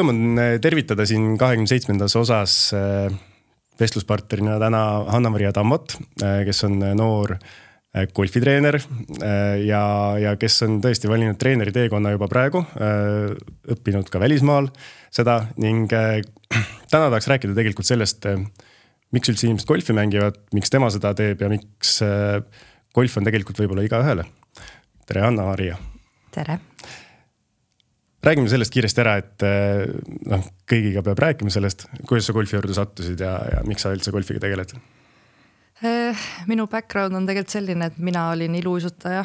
rõõm on tervitada siin 27. osas vestluspartnerina täna Hanna-Maria Tammot, kes on noor golfitreener ja kes on tõesti valinud treeneri teekonna juba praegu, õppinud ka välismaal seda ning täna tahaks rääkida tegelikult sellest, miks üldse inimesed golfi mängivad, miks tema seda teeb ja miks golf on tegelikult võib-olla igaühele. Tere, Hanna-Maria! Tere! Räägime sellest kiiresti ära, et kõigiga peab rääkima sellest, kuidas sa golfi juurde sattusid ja miks sa üldse golfiga tegeled? Minu background on tegelikult selline, et mina olin iluuisutaja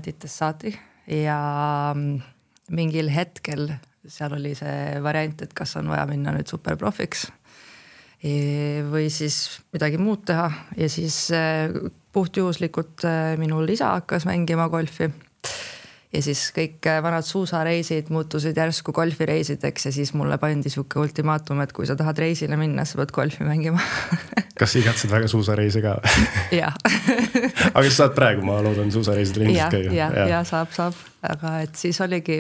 titest saati ja mingil hetkel seal oli see variant, et kas on vaja minna nüüd superprofiks või siis midagi muud teha ja siis puhtjuhuslikult minul isa hakkas mängima golfi. Ja siis kõik vanad suusareisid muutusid järsku golfireisideks ja siis mulle pandi siuke ultimaatum, et kui sa tahad reisile minna, sa pead golfi mängima. Kas igatsed väga suusareise ka? Jah. Aga sa saad praegu, ma loodan, suusareisidele ilmselt käia? Ja saab. Aga et siis oligi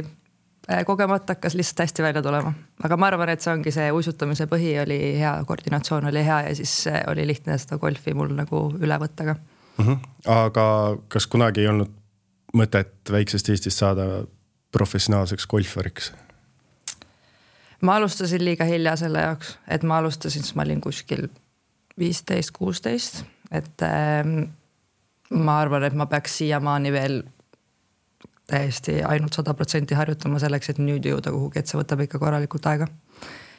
kogemata hakkas lihtsalt hästi välja tulema. Aga ma arvan, et see ongi see uisutamise põhi oli hea, koordinatsioon oli hea ja siis oli lihtne seda golfi mul nagu üle võtta ka. Aga kas kunagi ei olnud mõtet väiksest Eestist saada professionaalseks golfariks? Ma alustasin liiga hilja selle jaoks, et ma alustasin, siis ma olin kuskil 15-16, et ma arvan, et ma peaks siiamaani veel täiesti ainult 100% harjutama selleks, et nüüd jõuda kuhugi, et see võtab ikka korralikult aega.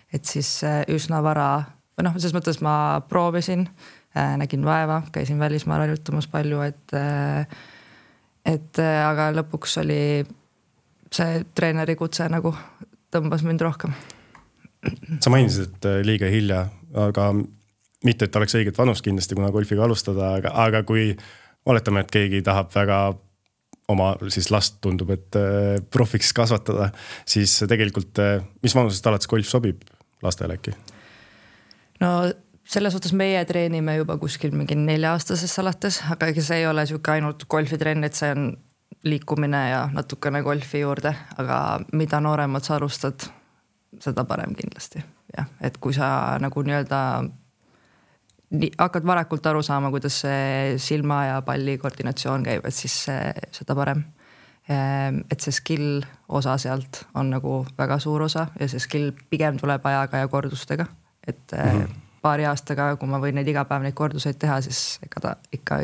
Et siis üsna vara, või selles mõttes ma proovisin, nägin vaeva, käisin välismaal harjutamas palju, et aga lõpuks oli see treeneri kutse nagu tõmbas mind rohkem. Sa mainisid, et liiga hilja, aga mitte, et oleks õiget vanust kindlasti, kuna golfiga alustada, aga kui oletame, et keegi tahab väga oma siis last tundub, et profiks kasvatada, siis tegelikult mis vanusest alates golf sobib lastele äkki? No selles suhtes meie treenime juba kuskil mingi 4-aastasest alates, aga see ei ole siuke ainult golfitrenn, et see on liikumine ja natukene golfi juurde, aga mida nooremad sa alustad, seda parem kindlasti. Ja, et kui sa nagu nii-öelda hakkad varakult aru saama, kuidas see silma ja palli koordinatsioon käib, et siis seda parem. Et see skill osa sealt on nagu väga suur osa ja see skill pigem tuleb ajaga ja kordustega, et paari aastaga, kui ma võin neid igapäev neid korduseid teha, siis ega ta ikka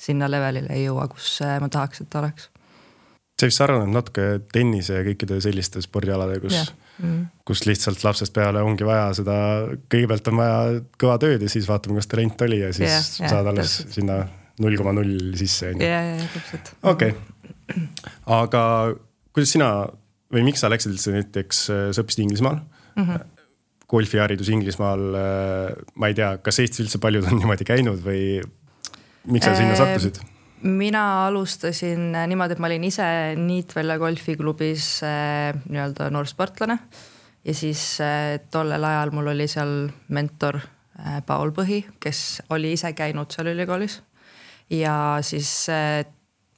sinna levelile ei jõua, kus ma tahaks, et ta oleks. See vist sarnaneb natuke tennise ja kõikide selliste spordialade, kus lihtsalt lapsest peale ongi vaja seda, kõigepealt on vaja kõva tööd ja siis vaatame, kas talent oli ja siis saad alles sinna 0,0 sisse. Ja, täpselt. Okei. Aga kuidas sina või miks sa läksid näiteks, sa õppisid Inglismaal? Golfiharidus Inglismaal, ma ei tea, kas Eestis üldse paljud on niimoodi käinud või miks sa sinna sattusid? Mina alustasin niimoodi, et ma olin ise Niitvälja golfiklubis nii-öelda noorsportlane ja siis tollel ajal mul oli seal mentor Paul Põhi, kes oli ise käinud seal ülikoolis ja siis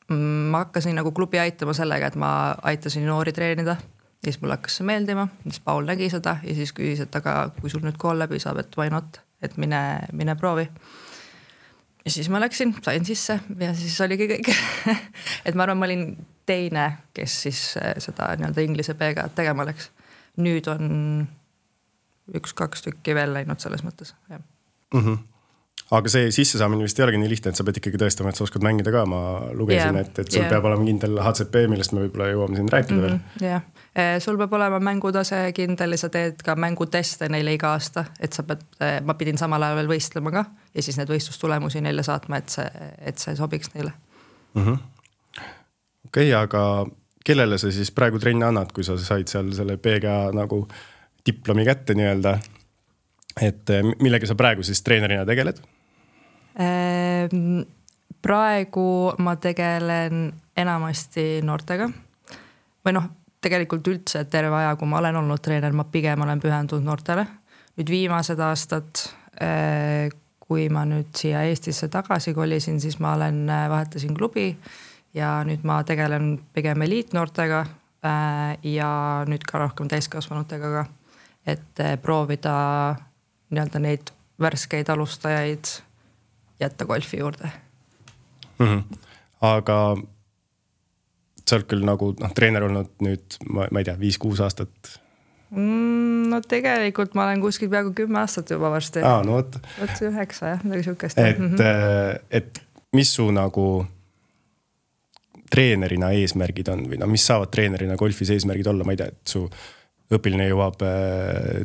ma hakkasin nagu klubi aitama sellega, et ma aitasin noori treenida. Ja siis mul hakkas see meeldima, siis Paul nägi seda ja siis küsis, et aga kui sul nüüd kool läbi saab, et why not, et mine proovi. Ja siis ma läksin, sain sisse ja siis oligi kõik. Et ma arvan, ma olin teine, kes siis seda nii-öelda inglise peega tegema läks. Nüüd on 1-2 tükki veel läinud selles mõttes. Ja. Aga see sissesaamine vist ei olegi nii lihtne, et sa pead ikkagi tõestama, et sa oskad mängida ka. Ma lugesin, et sul peab olema kindel HCP, millest me võib-olla jõuame siin rääkida veel. Jah, sul peab olema mängutase kindel ja sa teed ka mänguteste neile iga aasta, et ma pidin samal ajal veel võistlema ka ja siis need võistlustulemusi neile saatma, et see sobiks neile. Okei, aga kellele sa siis praegu trenni annad, kui sa said seal selle PGA nagu diplomi kätte nii-öelda, et millega sa praegu siis treenerina tegeled? Praegu ma tegelen enamasti noortega või tegelikult üldse terve aja, kui ma olen olnud treener, ma pigem olen pühendunud noortele. Nüüd viimased aastad, kui ma nüüd siia Eestisse tagasi kolisin, siis ma vahetasin klubi ja nüüd ma tegelen pigem eliitnoortega ja nüüd ka rohkem täiskasvanutega ka, et proovida nii-öelda neid värskeid alustajaid jätta golfi juurde. Aga sa oled küll nagu treener olnud nüüd, ma ei tea, 5-6 aastat. No tegelikult ma olen kuskil peaaegu 10 aastat juba varsti. No võt. 9 jah, midagi sihukest. Et mis su nagu treenerina eesmärgid on või mis saavad treenerina golfis eesmärgid olla, ma ei tea, et su õpiline jõuab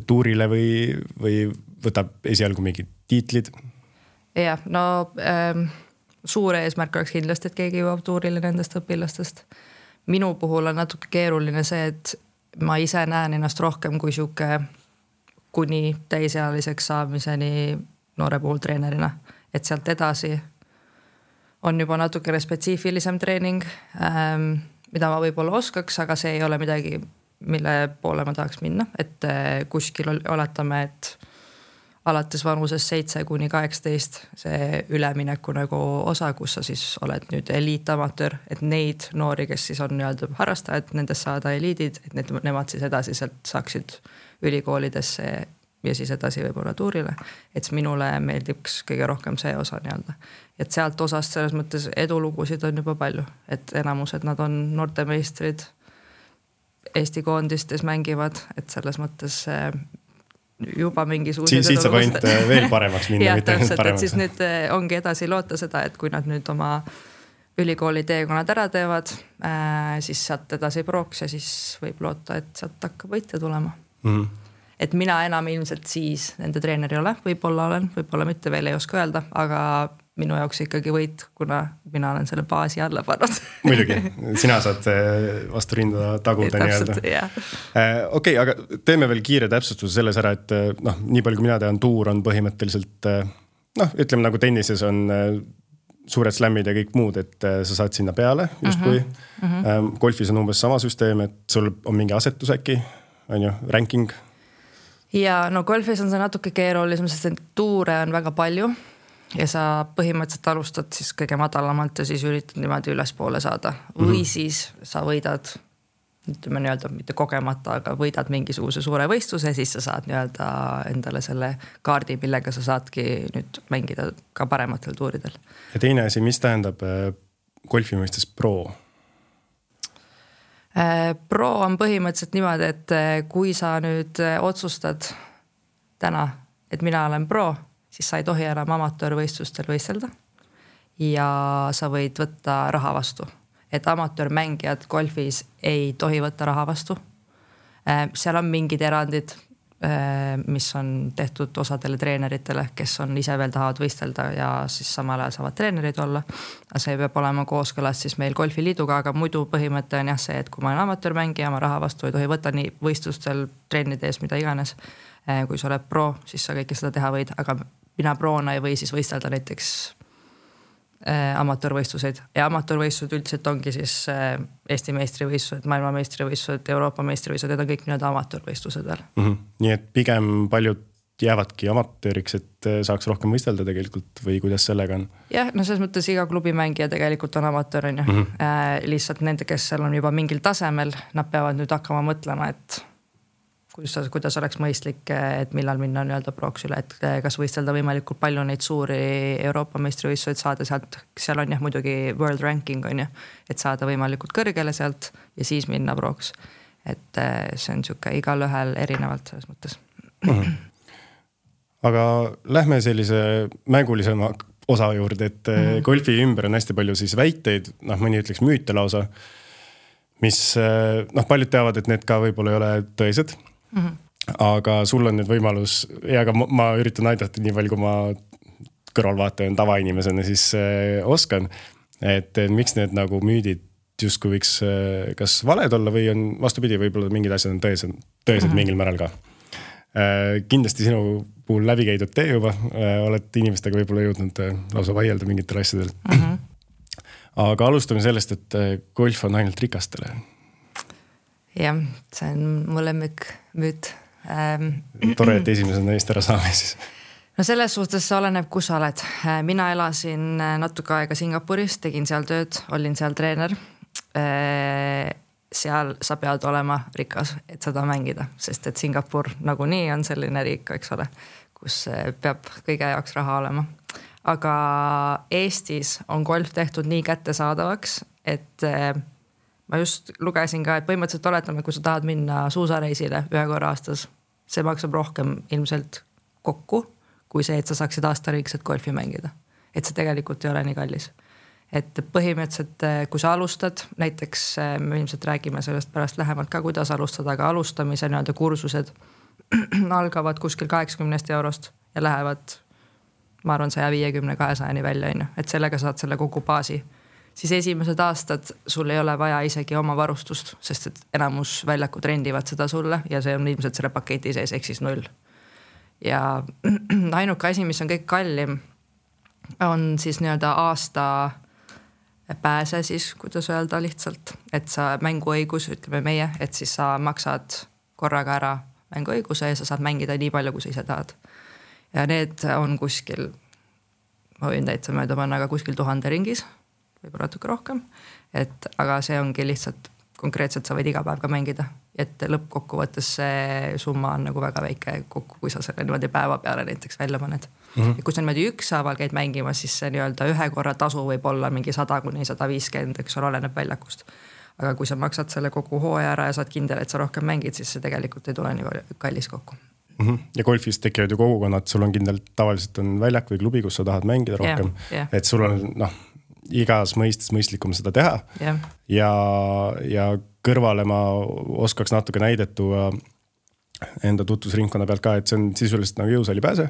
tuurile või võtab esialgu mingid tiitlid? Jah, no suur eesmärk oleks kindlasti, et keegi jõuab tuurile nendest õpilastest. Minu puhul on natuke keeruline see, et ma ise näen ennast rohkem kui sihuke kuni täisealiseks saamiseni noore puhul treenerina. Et sealt edasi on juba natukene spetsiifilisem treening, mida ma võib-olla oskaks, aga see ei ole midagi, mille poole ma tahaks minna. Et kuskil oletame, et alates vanuses 7-18 see ülemineku nagu osa, kus sa siis oled nüüd eliitamatöör, et neid noori, kes siis on nii-öelda harrastajad, nendest saada eliidid, et nemad siis edasi sealt saaksid ülikoolidesse ja siis edasi võib-olla tuurile. Et minule meeldiks kõige rohkem see osa nii-öelda. Et sealt osast selles mõttes edulugusid on juba palju, et enamused nad on noortemeistrid, Eesti koondistes mängivad, et selles mõttes juba mingisugused siit saab ainult veel paremaks minna. Ja, täpselt, et siis nüüd ongi edasi loota seda, et kui nad nüüd oma ülikooli teekonnad ära teevad, siis sealt edasi prooks ja siis võib loota, et sealt hakkab võitja tulema. Et mina enam ilmselt siis nende treener ei ole, võib-olla olen, võib-olla mitte veel ei oska öelda, aga minu jaoks ikkagi võit, kuna mina olen selle baasi alla pannud. Muidugi, sina saad vastu rinda taguda nii-öelda. Okei, aga teeme veel kiire täpsustuse selles ära, et nii palju kui mina tean, tuur on põhimõtteliselt, ütleme nagu tennises on suured slämmid ja kõik muud, et sa saad sinna peale justkui. Golfis on umbes sama süsteem, et sul on mingi asetus äkki, on ju, ranking? Ja no golfis on see natuke keerulisem, sest tuure on väga palju. Ja sa põhimõtteliselt alustad siis kõige madalamalt ja siis üritad niimoodi ülespoole saada. Või siis sa võidad, ütleme nii-öelda mitte kogemata, aga võidad mingisuguse suure võistluse, siis sa saad nii-öelda endale selle kaardi, millega sa saadki nüüd mängida ka parematel tuuridel. Ja teine asi, mis tähendab golfi mõistes pro? Pro on põhimõtteliselt niimoodi, et kui sa nüüd otsustad täna, et mina olen pro, siis sa ei tohi enam amatöörvõistlustel võistelda ja sa võid võtta raha vastu. Et amatöörmängijad golfis ei tohi võtta raha vastu. Seal on mingid erandid, mis on tehtud osadele treeneritele, kes on ise veel tahavad võistelda ja siis samal ajal saavad treenerid olla. See peab olema kooskõlas siis meil golfiliiduga, aga muidu põhimõte on jah see, et kui ma olen amatöörmängija, ma raha vastu ei tohi võtta nii võistlustel, treenide ees, mida iganes. Kui sa oled pro, siis sa kõike seda teha võid, aga mina proona ei või siis võistelda näiteks amatöörvõistluseid. Ja amatöörvõistlused üldiselt ongi siis Eesti meistrivõistlused, maailma meistrivõistlused, Euroopa meistrivõistlused, need on kõik nii-öelda amatöörvõistlused veel. Nii et pigem paljud jäävadki amatööriks, et saaks rohkem võistelda tegelikult või kuidas sellega on? Jah, no selles mõttes iga klubimängija tegelikult on amatöör, on ju. Lihtsalt nende, kes seal on juba mingil tasemel, nad peavad nüüd hakkama mõtlema, et kuidas oleks mõistlik, et millal minna nii-öelda prooks üle, et kas võistelda võimalikult palju neid suuri Euroopa meistrivõistluseid saada sealt, seal on jah muidugi world ranking on ju, et saada võimalikult kõrgele sealt ja siis minna prooks. Et see on siuke igal ühel erinevalt selles mõttes. Aga lähme sellise mängulisema osa juurde, et golfi ümber on hästi palju siis väiteid, mõni ütleks müüte lausa, mis paljud teavad, et need ka võib-olla ei ole tõesed. Aga sul on nüüd võimalus ja ka ma üritan aidata nii palju, kui ma kõrvalvaatajan tavainimesena siis oskan, et miks need nagu müüdid justkui võiks kas valed olla või on vastupidi, võib-olla mingid asjad on tõesed mingil määral ka. Kindlasti sinu puhul läbi käidud tee juba, oled inimestega võib-olla jõudnud lausa vaielda mingitel asjadel. Aga alustame sellest, et golf on ainult rikastele. Jah, see on mu lemmik müüt. Tore, et esimesena eest ära saame siis. No selles suhtes oleneb, kus sa oled. Mina elasin natuke aega Singapuris, tegin seal tööd, olin seal treener. seal sa pead olema rikas, et seda mängida, sest et Singapur nagunii on selline riik, eks ole, kus peab kõige jaoks raha olema. Aga Eestis on golf tehtud nii kättesaadavaks, et ma just lugesin ka, et põhimõtteliselt oletame, kui sa tahad minna suusareisile 1 korra aastas, see maksab rohkem ilmselt kokku, kui see, et sa saaksid aastariikselt golfi mängida. Et see tegelikult ei ole nii kallis. Et põhimõtteliselt, kui sa alustad, näiteks me ilmselt räägime sellest pärast lähemalt ka, kuidas alustada, aga alustamise nii-öelda kursused algavad kuskil 80 eurost ja lähevad, ma arvan, 150-200 välja, et sellega saad selle kogu baasi. Siis esimesed aastad sul ei ole vaja isegi oma varustust, sest et enamus väljakud rendivad seda sulle ja see on ilmselt selle paketi sees, ehk siis 0. Ja ainuke asi, mis on kõik kallim, on siis nii-öelda aasta pääse siis, kuidas öelda lihtsalt, et sa mänguõigus, ütleme meie, et siis sa maksad korraga ära mänguõiguse ja sa saad mängida nii palju, kui sa ise tahad. Ja need on kuskil, ma võin täitsa mööda panna, aga kuskil 1000 ringis, võib-olla natuke rohkem, aga see ongi lihtsalt konkreetselt sa võid iga päev ka mängida, et lõppkokkuvõttes see summa on nagu väga väike kokku, kui sa selle niimoodi päeva peale näiteks välja paned. Ja kui sa niimoodi ükshaaval käid mängima, siis see nii-öelda 1 korra tasu võib olla mingi 100-150, eks ole, oleneb väljakust. Aga kui sa maksad selle kogu hooaja ära ja saad kindel, et sa rohkem mängid, siis see tegelikult ei tule nii kallis kokku. Ja golfis tekivad ju kogukonnad, sul on kindel, tavaliselt on väljak või klubi, kus sa tahad mängida rohkem, et sul on igas mõistes mõistlikum seda teha ja kõrvale ma oskaks natuke näidet tuua enda tutvusringkonna pealt ka, et see on sisuliselt nagu jõusaali pääse,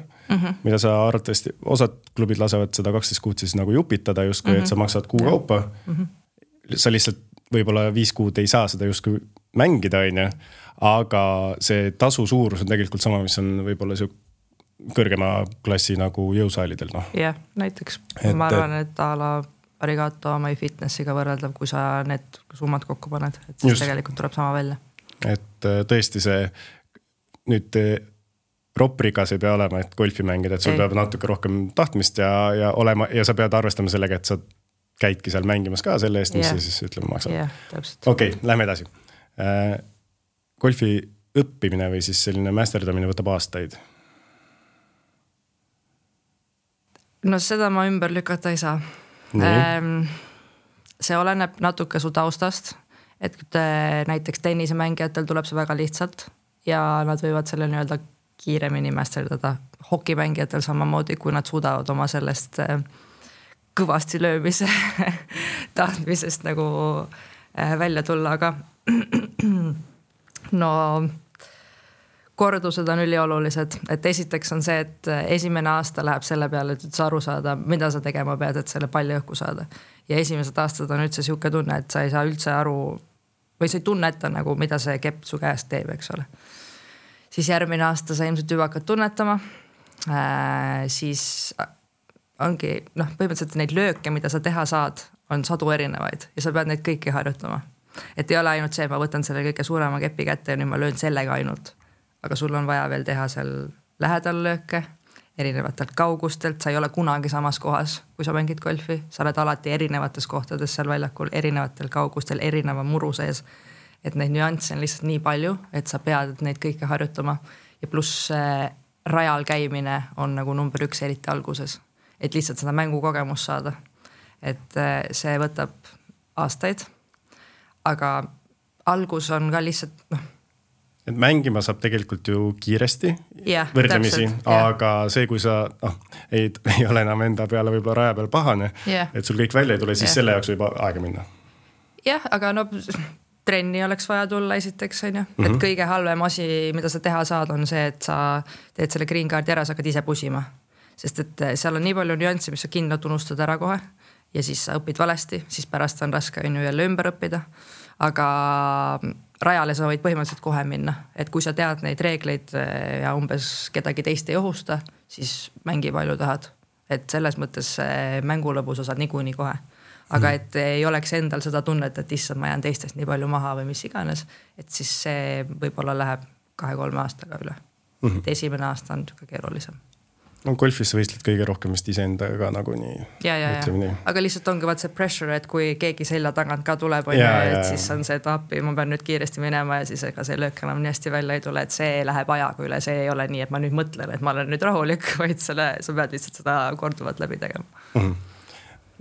mida sa arvatavasti, osad klubid lasevad seda 12 kuud siis nagu jupitada justkui, et sa maksad kuu kaupa. Sa lihtsalt võib-olla 5 kuud ei saa seda justkui mängida, aga see tasu suurus on tegelikult sama, mis on võib-olla kõrgema klassi nagu jõusaalidel. Jah, näiteks ma arvan, et ala Arigato My Fitnessiga võrreldav, kui sa need summad kokku paned, et siis tegelikult tuleb sama välja. Et tõesti see nüüd proprikas ei pea olema, et golfi mängida, et sul peab natuke rohkem tahtmist ja olema, ja sa pead arvestama sellega, et sa käidki seal mängimas ka selle eest, mis siis ütleme maksab. Okei, lähme edasi. Golfi õppimine või siis selline mästerdamine võtab aastaid? No seda ma ümber lükata ei saa. See oleneb natuke su taustast, et näiteks tennisemängijatel tuleb see väga lihtsalt ja nad võivad selle nii-öelda kiiremini mästerdada. Hokimängijatel samamoodi, kui nad suudavad oma sellest kõvasti löömise tahtmisest nagu välja tulla, aga no kordused on üliolulised, et esiteks on see, et esimene aasta läheb selle peale, et sa aru saada, mida sa tegema pead, et selle palli õhku saada. Ja esimesed aastad on üldse siuke tunne, et sa ei saa üldse aru või sa ei tunneta nagu, mida see kepp su käest teeb, eks ole. Siis järgmine aasta sa ilmselt juba hakkad tunnetama, siis ongi, põhimõtteliselt neid lööke, mida sa teha saad, on sadu erinevaid ja sa pead neid kõiki harjutama. Et ei ole ainult see, ma võtan selle kõige suurema kepi kätte ja nüüd ma löön sellega ainult. Aga sul on vaja veel teha seal lähedal lööke, erinevatelt kaugustelt, sa ei ole kunagi samas kohas, kui sa mängid golfi, sa oled alati erinevates kohtades seal väljakul, erinevatel kaugustel, erineva muru sees, et neid nüansse on lihtsalt nii palju, et sa pead neid kõike harjutama ja pluss rajal käimine on nagu number 1 eriti alguses, et lihtsalt seda mängukogemust saada, et see võtab aastaid, aga algus on ka lihtsalt et mängima saab tegelikult ju kiiresti võrdlemisi, aga see, kui sa ei ole enam enda peale võib-olla raja peal pahane, et sul kõik välja ei tule, siis selle jaoks võib aega minna. Jah, aga trenni oleks vaja tulla esiteks, et kõige halvem asi, mida sa teha saad, on see, et sa teed selle green card'i ära, sa hakkad ise pusima. Sest et seal on nii palju nüansse, mis sa kindlalt unustad ära kohe ja siis sa õpid valesti, siis pärast on raske jälle ümber õppida. Aga rajale sa võid põhimõtteliselt kohe minna, et kui sa tead neid reegleid ja umbes kedagi teist ei ohusta, siis mängi palju tahad. Et selles mõttes mängulõbu sa saad niikuinii kohe. Aga et ei oleks endal seda tunnet, et issand, ma jään teistest nii palju maha või mis iganes, et siis see võib-olla läheb 2-3 aastaga üle. Et esimene aasta on keerulisem. No golfis sa võistled kõige rohkem vist iseendaga nagunii. Aga lihtsalt ongi vaat see pressure, et kui keegi selja tagant ka tuleb, siis on see, et appi, ma pean nüüd kiiresti minema ja siis ega see löök enam nii hästi välja ei tule, et see läheb ajaga üle, see ei ole nii, et ma nüüd mõtlen, et ma olen nüüd rahulik, vaid sa pead lihtsalt seda korduvalt läbi tegema.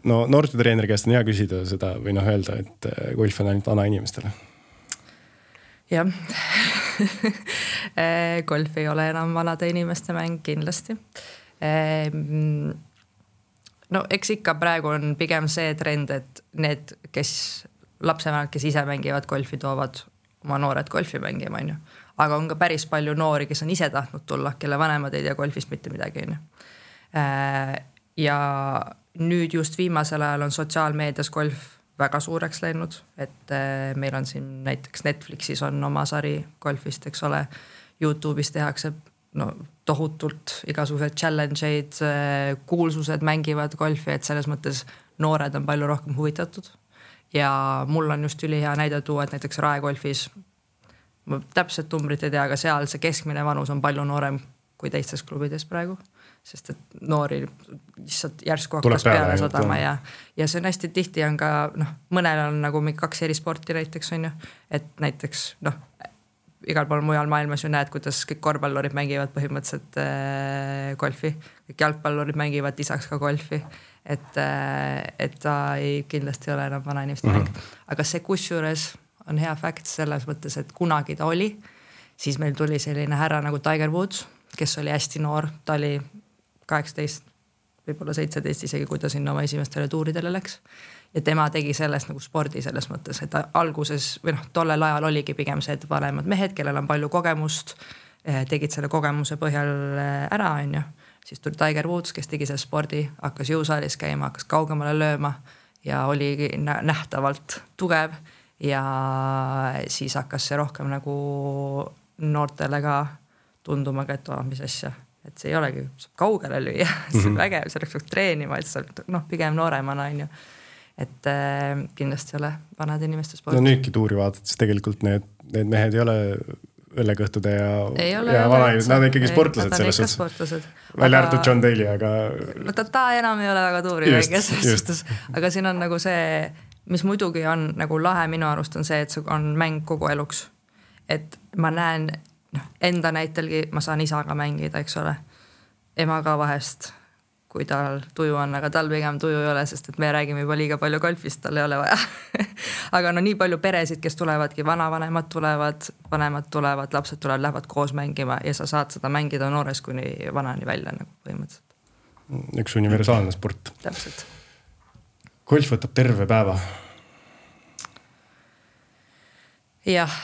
No noortetreeneri käest on hea küsida seda või öelda, et golf on ainult vana inimestele. Jah, golf ei ole enam vanade inimeste mäng kindlasti. No eks ikka praegu on pigem see trend, et need, kes lapsevanemad, kes ise mängivad golfi, toovad oma noored golfi mängima, on ju. Aga on ka päris palju noori, kes on ise tahtnud tulla, kelle vanemad ei tea golfist mitte midagi, on ju. Ja nüüd just viimasel ajal on sotsiaalmeedias golf väga suureks läinud, et meil on siin näiteks Netflixis on oma sari golfist, eks ole, YouTube'is tehakse tohutult igasugused challenge'id, kuulsused mängivad golfi, et selles mõttes noored on palju rohkem huvitatud. Ja mul on just ülihea näide tuua, et näiteks raegolfis, ma täpselt numbrit ei tea, aga seal see keskmine vanus on palju noorem kui teistes klubides praegu. Sest et noori lihtsalt järsku hakkas peale sadama ja see on hästi tihti on ka, mõnel on nagu 2 eri sporti näiteks on ju, et näiteks igal pool mujal maailmas ju näed, kuidas kõik korvpallurid mängivad põhimõtteliselt golfi, kõik jalgpallurid mängivad lisaks ka golfi, et ta kindlasti ei ole enam vana inimeste mäng. Aga see kusjuures on hea fakt selles mõttes, et kunagi ta oli, siis meil tuli selline härra nagu Tiger Woods, kes oli hästi noor, ta oli 18, võib-olla 17 isegi, kui ta sinna oma esimestele tuuridele läks. Ja tema tegi sellest nagu spordi selles mõttes, et alguses või tollel ajal oligi pigem see, et vanemad mehed, kellel on palju kogemust, tegid selle kogemuse põhjal ära, on ju. Siis tuli Tiger Woods, kes tegi selle spordi, hakkas jõusaalis käima, hakkas kaugemale lööma ja oli nähtavalt tugev ja siis hakkas see rohkem nagu noortele ka tunduma, et mis asja. Et see ei olegi, saab kaugele lüüa, see on vägev, see oleks treenima, et see pigem nooremana on ju. Et kindlasti ei ole vanad inimeste sport. No nüüdki tuuri vaadates tegelikult need mehed ei ole õllekõhtude ja vana, nad on ikkagi sportlased selles suhtes. Välja arvatud John Daly, aga... No ta enam ei ole väga tuuri väikes. Aga siin on nagu see, mis muidugi on nagu lahe minu arust on see, et see on mäng kogu eluks. Et ma näen... enda näitelgi ma saan isaga mängida, eks ole. Ema ka vahest, kui tal tuju on, aga tal pigem tuju ei ole, sest et me räägime juba liiga palju golfist, tal ei ole vaja. Aga nii palju peresid, kes tulevadki, vanavanemad tulevad, vanemad tulevad, lapsed tulevad, lähevad koos mängima ja sa saad seda mängida noores kuni vanani välja nagu põhimõtteliselt. Üks universaalne sport. Täpselt. Golf võtab terve päeva. Jah,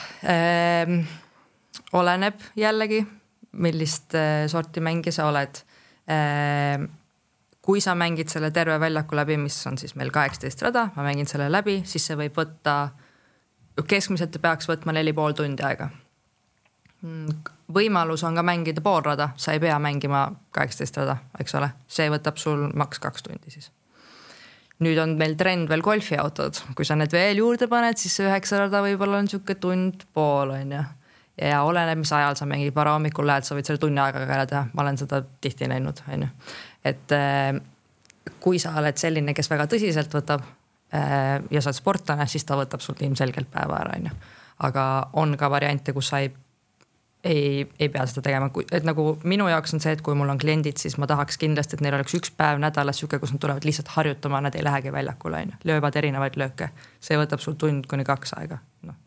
oleneb jällegi, millist sorti mängi sa oled. Kui sa mängid selle terve väljaku läbi, mis on siis meil 18 rada, ma mängin selle läbi, siis see võib võtta, keskmiselt peaks võtma 4,5 tundi aega. Võimalus on ka mängida pool rada, sa ei pea mängima 18 rada, eks ole. See võtab sul maks 2 tundi siis. Nüüd on meil trend veel golfiautod. Kui sa need veel juurde paned, siis see 9 rada võib-olla on siuke tund pool, on ju. Ja oleneb, mis ajal sa mängid, varahommikul lähed, sa võid selle tunni aega ka teha. Ma olen seda tihti näinud, on ju. Et kui sa oled selline, kes väga tõsiselt võtab ja sa oled sportlane, siis ta võtab sul ilmselgelt päeva ära, on ju. Aga on ka variante, kus sa ei pea seda tegema. Et nagu minu jaoks on see, et kui mul on kliendid, siis ma tahaks kindlasti, et neil oleks 1 päev nädalas siuke, kus nad tulevad lihtsalt harjutama, nad ei lähegi väljakule, on ju. Löövad erinevaid lööke. See võtab sul tund kuni 2 aega. No.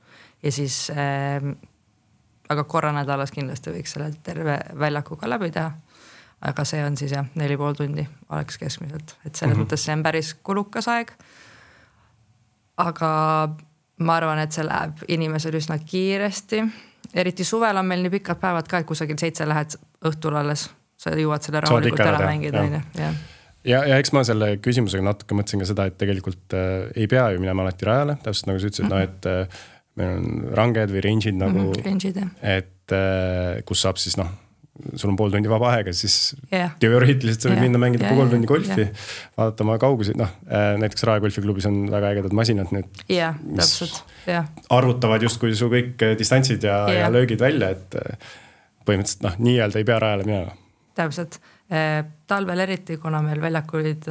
Ja siis... aga korra nädalas kindlasti võiks selle terve väljakuga läbi teha. Aga see on siis 4,5 tundi oleks keskmiselt. Et selles mõttes see on päris kulukas aeg. Aga ma arvan, et see läheb inimesel üsna kiiresti. Eriti suvel on meil nii pikad päevad ka, et kusagil 7 lähed õhtul alles. Sa jõuad selle rahulikult ära mängida. Ja eks ma selle küsimusega natuke mõtlesin ka seda, et tegelikult ei pea ju minema alati rajale. Täpselt nagu sa ütlesid, et meil on ranged või range'id nagu, et kus saab siis sul on pool tundi vaba aega, siis teoreetiliselt sa võid minna mängida pool tundi golfi, vaadata oma kaugusid, näiteks Rae golfiklubis on väga ägedad masinad nüüd, mis arvutavad justkui su kõik distantsid ja löögid välja, et põhimõtteliselt nii-öelda ei pea rajale minema. Täpselt. Talvel eriti, kuna meil väljakuid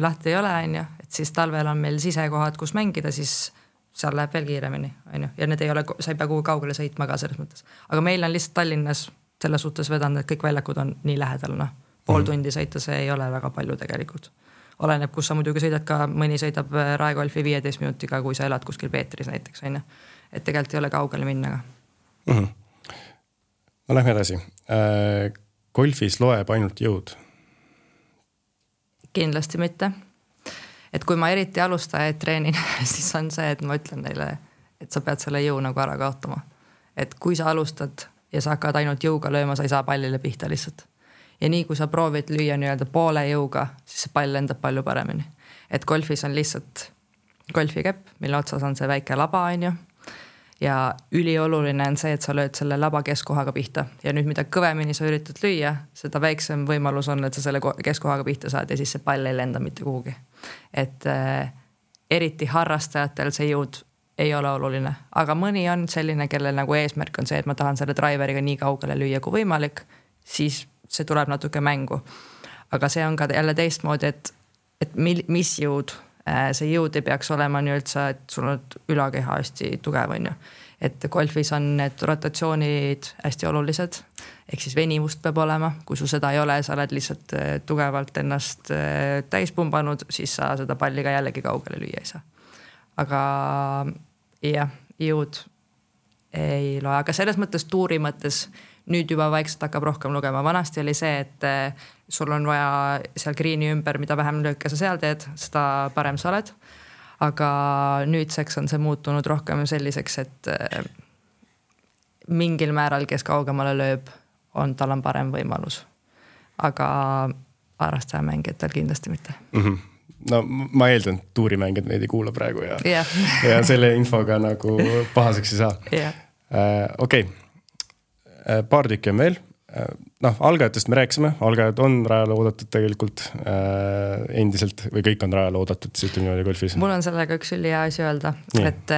lahti ei ole, on ju, et siis talvel on meil sisekohad, kus mängida, siis seal läheb veel kiiremini, on ju, ja need ei ole, sa ei pea kuhu kaugele sõitma ka selles mõttes. Aga meil on lihtsalt Tallinnas selle suhtes vedanud, et kõik väljakud on nii lähedal, noh. Pool tundi sõita, see ei ole väga palju tegelikult. Oleneb, kus sa muidugi sõidad ka, mõni sõidab Raekolfi 15 minutiga, kui sa elad kuskil Peetris näiteks, on ju. Et tegelikult ei ole kaugele minna. No lähme edasi. Golfis loeb ainult jõud? Kindlasti mitte. Et kui ma eriti alustajaid treenin, siis on see, et ma ütlen neile, et sa pead selle jõu nagu ära kaotama. Et kui sa alustad ja sa hakkad ainult jõuga lööma, sa ei saa pallile pihta lihtsalt. Ja nii, kui sa proovid lüüa nii-öelda poole jõuga, siis see pall lendab palju paremini. Et golfis on lihtsalt golfikepp, mille otsas on see väike laba, on ju. Ja ülioluline on see, et sa lööd selle laba keskkohaga pihta. Ja nüüd, mida kõvemini sa üritad lüüa, seda väiksem võimalus on, et sa selle keskkohaga pihta saad ja siis see pall ei lenda mitte kuhugi. Et eriti harrastajatel see jõud ei ole oluline. Aga mõni on selline, kellel nagu eesmärk on see, et ma tahan selle driveriga nii kaugele lüüa kui võimalik, siis see tuleb natuke mängu. Aga see on ka jälle teistmoodi, et mis jõud, see jõud ei peaks olema nii üldse, et sul on ülakeha hästi tugev, on ju. Et golfis on need rotatsioonid hästi olulised, ehk siis venimust peab olema. Kui sul seda ei ole, sa oled lihtsalt tugevalt ennast täis pumbanud, siis sa seda palli ka jällegi kaugele lüüa ei saa. Aga jah, jõud ei loe, aga selles mõttes tuuri mõttes nüüd juba vaikselt hakkab rohkem lugema. Vanasti oli see, et sul on vaja seal greeni ümber, mida vähem lööke sa seal teed, seda parem sa oled. Aga nüüdseks on see muutunud rohkem selliseks, et mingil määral, kes kaugemale lööb, tal on parem võimalus. Aga harrastaja mängijatel kindlasti mitte. No ma eeldan, et tuurimängijad meid ei kuula praegu ja selle infoga nagu pahaseks ei saa. Okei. Paar tükki on veel. Algajatest me rääkisime. Algajad on rajale oodatud tegelikult endiselt või kõik on rajale oodatud, siis ütleme niimoodi golfis. Mul on sellega üks üli hea asi öelda, et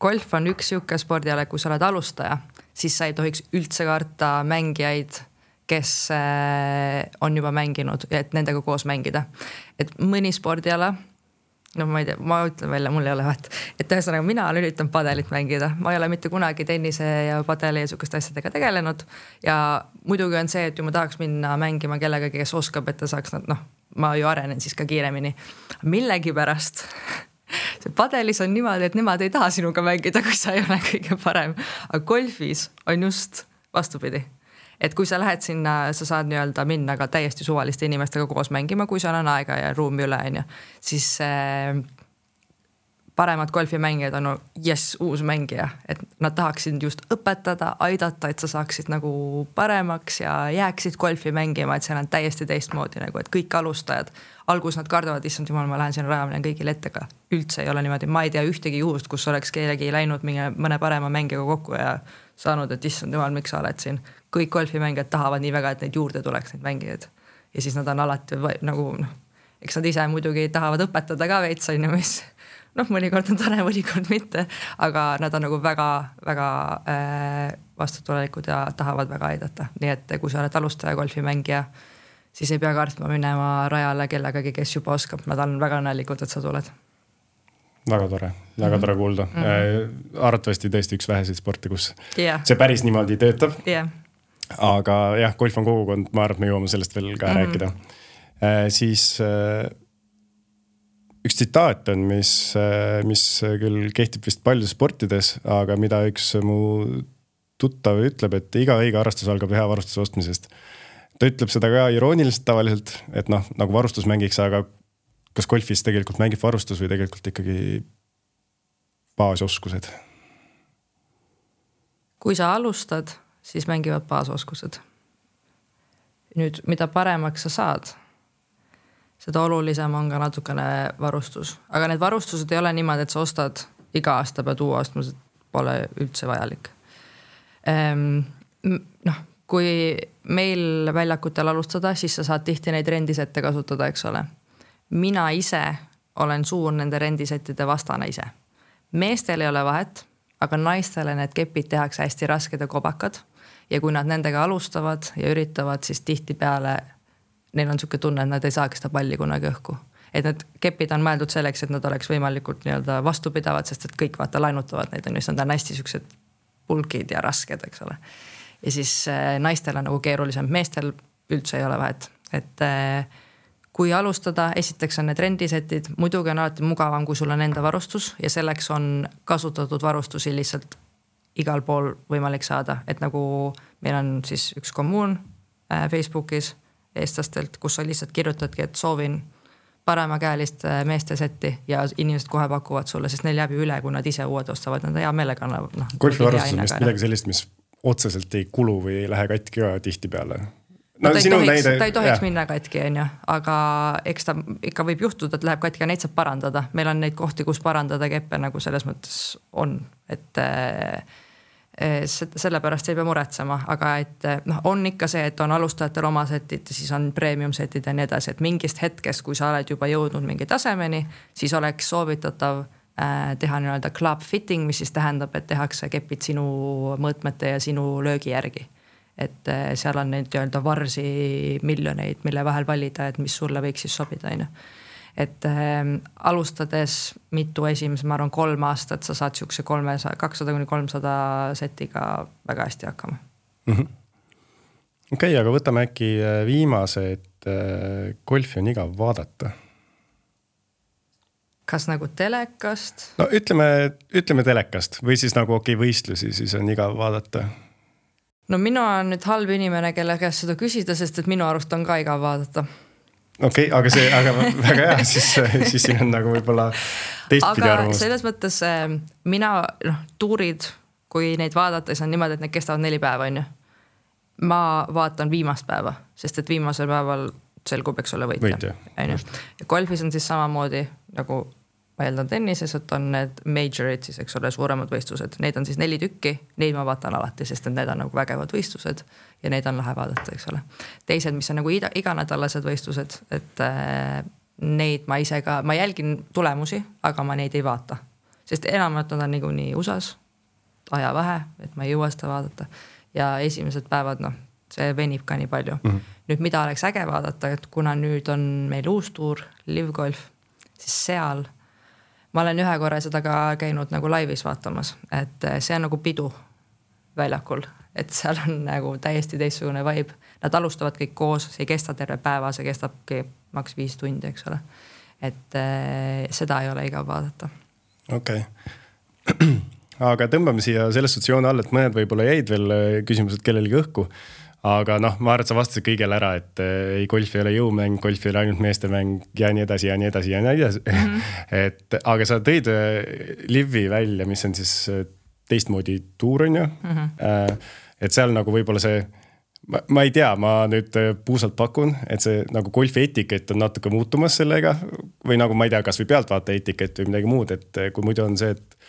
golf on üks siuke spordiala, kui sa oled alustaja, siis sa ei tohiks üldse karta mängijaid, kes on juba mänginud ja et nendega koos mängida. Et mõni spordiala, ma ei tea, ma ütlen välja, mul ei ole vahet. Et ühesõnaga, mina üritan padelit mängida. Ma ei ole mitte kunagi tennise ja padeli ja sukest asjadega tegelenud. Ja muidugi on see, et ju ma tahaks minna mängima kellegagi, kes oskab, et ta saaks, ma ju arenen siis ka kiiremini. Millegi pärast see padelis on niimoodi, et nemad ei taha sinuga mängida, kui sa ei ole kõige parem. Aga golfis on just vastupidi. Et kui sa lähed sinna, sa saad nii-öelda minna ka täiesti suvaliste inimestega koos mängima, kui seal on aega ja ruumi üle, siis paremad golfimängijad on uus mängija. Et nad tahaksid just õpetada, aidata, et sa saaksid nagu paremaks ja jääksid golfi mängima, et seal on täiesti teistmoodi, nagu, et kõik alustajad. Algus nad kardavad, issand jumal, ma lähen sinna rajamine kõigil ettega. Üldse ei ole niimoodi, ma ei tea ühtegi juhust, kus oleks kellegi läinud mõne parema mängijaga kokku ja saanud, et issand jumal, miks sa oled siin. Kõik golfimängijad tahavad nii väga, et neid juurde tuleks neid mängijaid. Ja siis nad on alati nagu, eks nad ise muidugi tahavad õpetada ka veits, mis mõnikord on tore, mõnikord mitte, aga nad on nagu väga, väga vastutulelikud ja tahavad väga aidata. Nii et kui sa oled alustaja golfimängija, siis ei pea kartma minema rajale kellegagi, kes juba oskab. Nad on väga õnnelikud, et sa tuled. Väga tore kuulda. Arvatavasti tõesti üks väheseid sporti, kus see päris niimoodi töötab. Aga jah, golf on kogukond, ma arvan, me jõuame sellest veel ka rääkida. Siis üks tsitaat on, mis küll kehtib vist paljudes sportides, aga mida üks mu tuttav ütleb, et iga õige harrastus algab hea varustuse ostmisest. Ta ütleb seda ka irooniliselt tavaliselt, et nagu varustus mängiks, aga kas golfis tegelikult mängib varustus või tegelikult ikkagi baasoskused? Kui sa alustad, siis mängivad baasoskused. Nüüd, mida paremaks sa saad, seda olulisem on ka natukene varustus. Aga need varustused ei ole niimoodi, et sa ostad iga aasta pead uue ostma, pole üldse vajalik. Kui meil väljakutel alustada, siis sa saad tihti neid rendisette kasutada, eks ole. Mina ise olen suur nende rendisettide vastane ise. Meestel ei ole vahet, aga naistele need kepid tehakse hästi rasked ja kobakad. Ja kui nad nendega alustavad ja üritavad, siis tihti peale neil on niisugune tunne, et nad ei saaks seda palli kunagi õhku. Et need kepid on mõeldud selleks, et nad oleks võimalikult nii-öelda vastupidavad, sest et kõik vaata lainutavad neid, on just nad on hästi siuksed pulkid ja rasked, eks ole. Ja siis naistel on nagu keerulisem, meestel üldse ei ole vahet. Et kui alustada, esiteks on need rendisetid, muidugi on alati mugavam, kui sul on enda varustus ja selleks on kasutatud varustusi lihtsalt igal pool võimalik saada. Et nagu meil on siis üks kommuun Facebookis eestlastelt, kus sa lihtsalt kirjutadki, et soovin paremakäelist meeste setti ja inimesed kohe pakuvad sulle, sest neil jääb ju üle, kui nad ise uued ostavad, nad hea meelega annavad. Golfivarustus on vist midagi sellist, mis otseselt ei kulu või ei lähe katki ka tihti peale. No, ta ei tohiks minna katki, aga eks ta ikka võib juhtuda, et läheb katki ja neid saab parandada. Meil on neid kohti, kus parandada keppe nagu selles mõttes on, et sellepärast ei pea muretsema, aga et on ikka see, et on alustajatel oma setid, siis on premium setid ja nii edasi, et mingist hetkest, kui sa oled juba jõudnud mingi tasemeni, siis oleks soovitatav teha nii-öelda club fitting, mis siis tähendab, et tehakse kepid sinu mõõtmete ja sinu löögi järgi. Et seal on neid nii-öelda varsi miljoneid, mille vahel valida, et mis sulle võiks siis sobida, Et alustades mitu esimest, ma arvan 3 aastat, sa saad siukse 200-300 setiga väga hästi hakkama. Okei, aga võtame äkki viimase, et golfi on igav vaadata. Kas nagu telekast? No ütleme telekast või siis nagu võistlusi, siis on igav vaadata. No minu on nüüd halb inimene, kelle käest seda küsida, sest et minu arust on ka igav vaadata. Okei, aga väga hea, siis siin on nagu võib-olla teistpidi arvamus. Aga selles mõttes mina, tuurid, kui neid vaadata, siis on niimoodi, et need kestavad 4 päeva, on ju. Ma vaatan viimast päeva, sest et viimasel päeval selgub, eks ole võitja. Ja golfis on siis samamoodi, nagu ma eeldan tennises, et on need majorid, siis eks ole suuremad võistlused. Neid on siis 4 tükki, neid ma vaatan alati, sest need on nagu vägevad võistlused ja neid on lahe vaadata, eks ole. Teised, mis on nagu iganädalased võistlused, et neid ma ise ka, ma jälgin tulemusi, aga ma neid ei vaata. Sest enamalt nad on nii USAs, aja vähe, et ma ei jõua seda vaadata. Ja esimesed päevad, see venib ka nii palju. Nüüd, mida oleks äge vaadata, et kuna nüüd on meil uus tuur, Live Golf, siis seal ma olen ühe korra seda ka käinud nagu laivis vaatamas, et see on nagu pidu väljakul, et seal on nagu täiesti teistsugune vibe. Nad alustavad kõik koos, see ei kesta terve päeva, see kestabki maks 5 tundi, eks ole. Et seda ei ole igav vaadata. Okei. Aga tõmbame siia selles sotsiooni all, et mõned võib-olla jäid veel küsimused kellelegi õhku. Aga ma arvan, et sa vastasid kõigele ära, et ei golf ei ole jõumäng, golf ei ole ainult meestemäng ja nii edasi ja nii edasi ja nii edasi. Aga sa tõid Livi välja, mis on siis teistmoodi tuur, on ju. Et seal nagu võib-olla see, ma ei tea, ma nüüd puusalt pakun, et see nagu golfi etikett on natuke muutumas sellega või nagu ma ei tea, kas või pealtvaata etikett või midagi muud, et kui muidu on see, et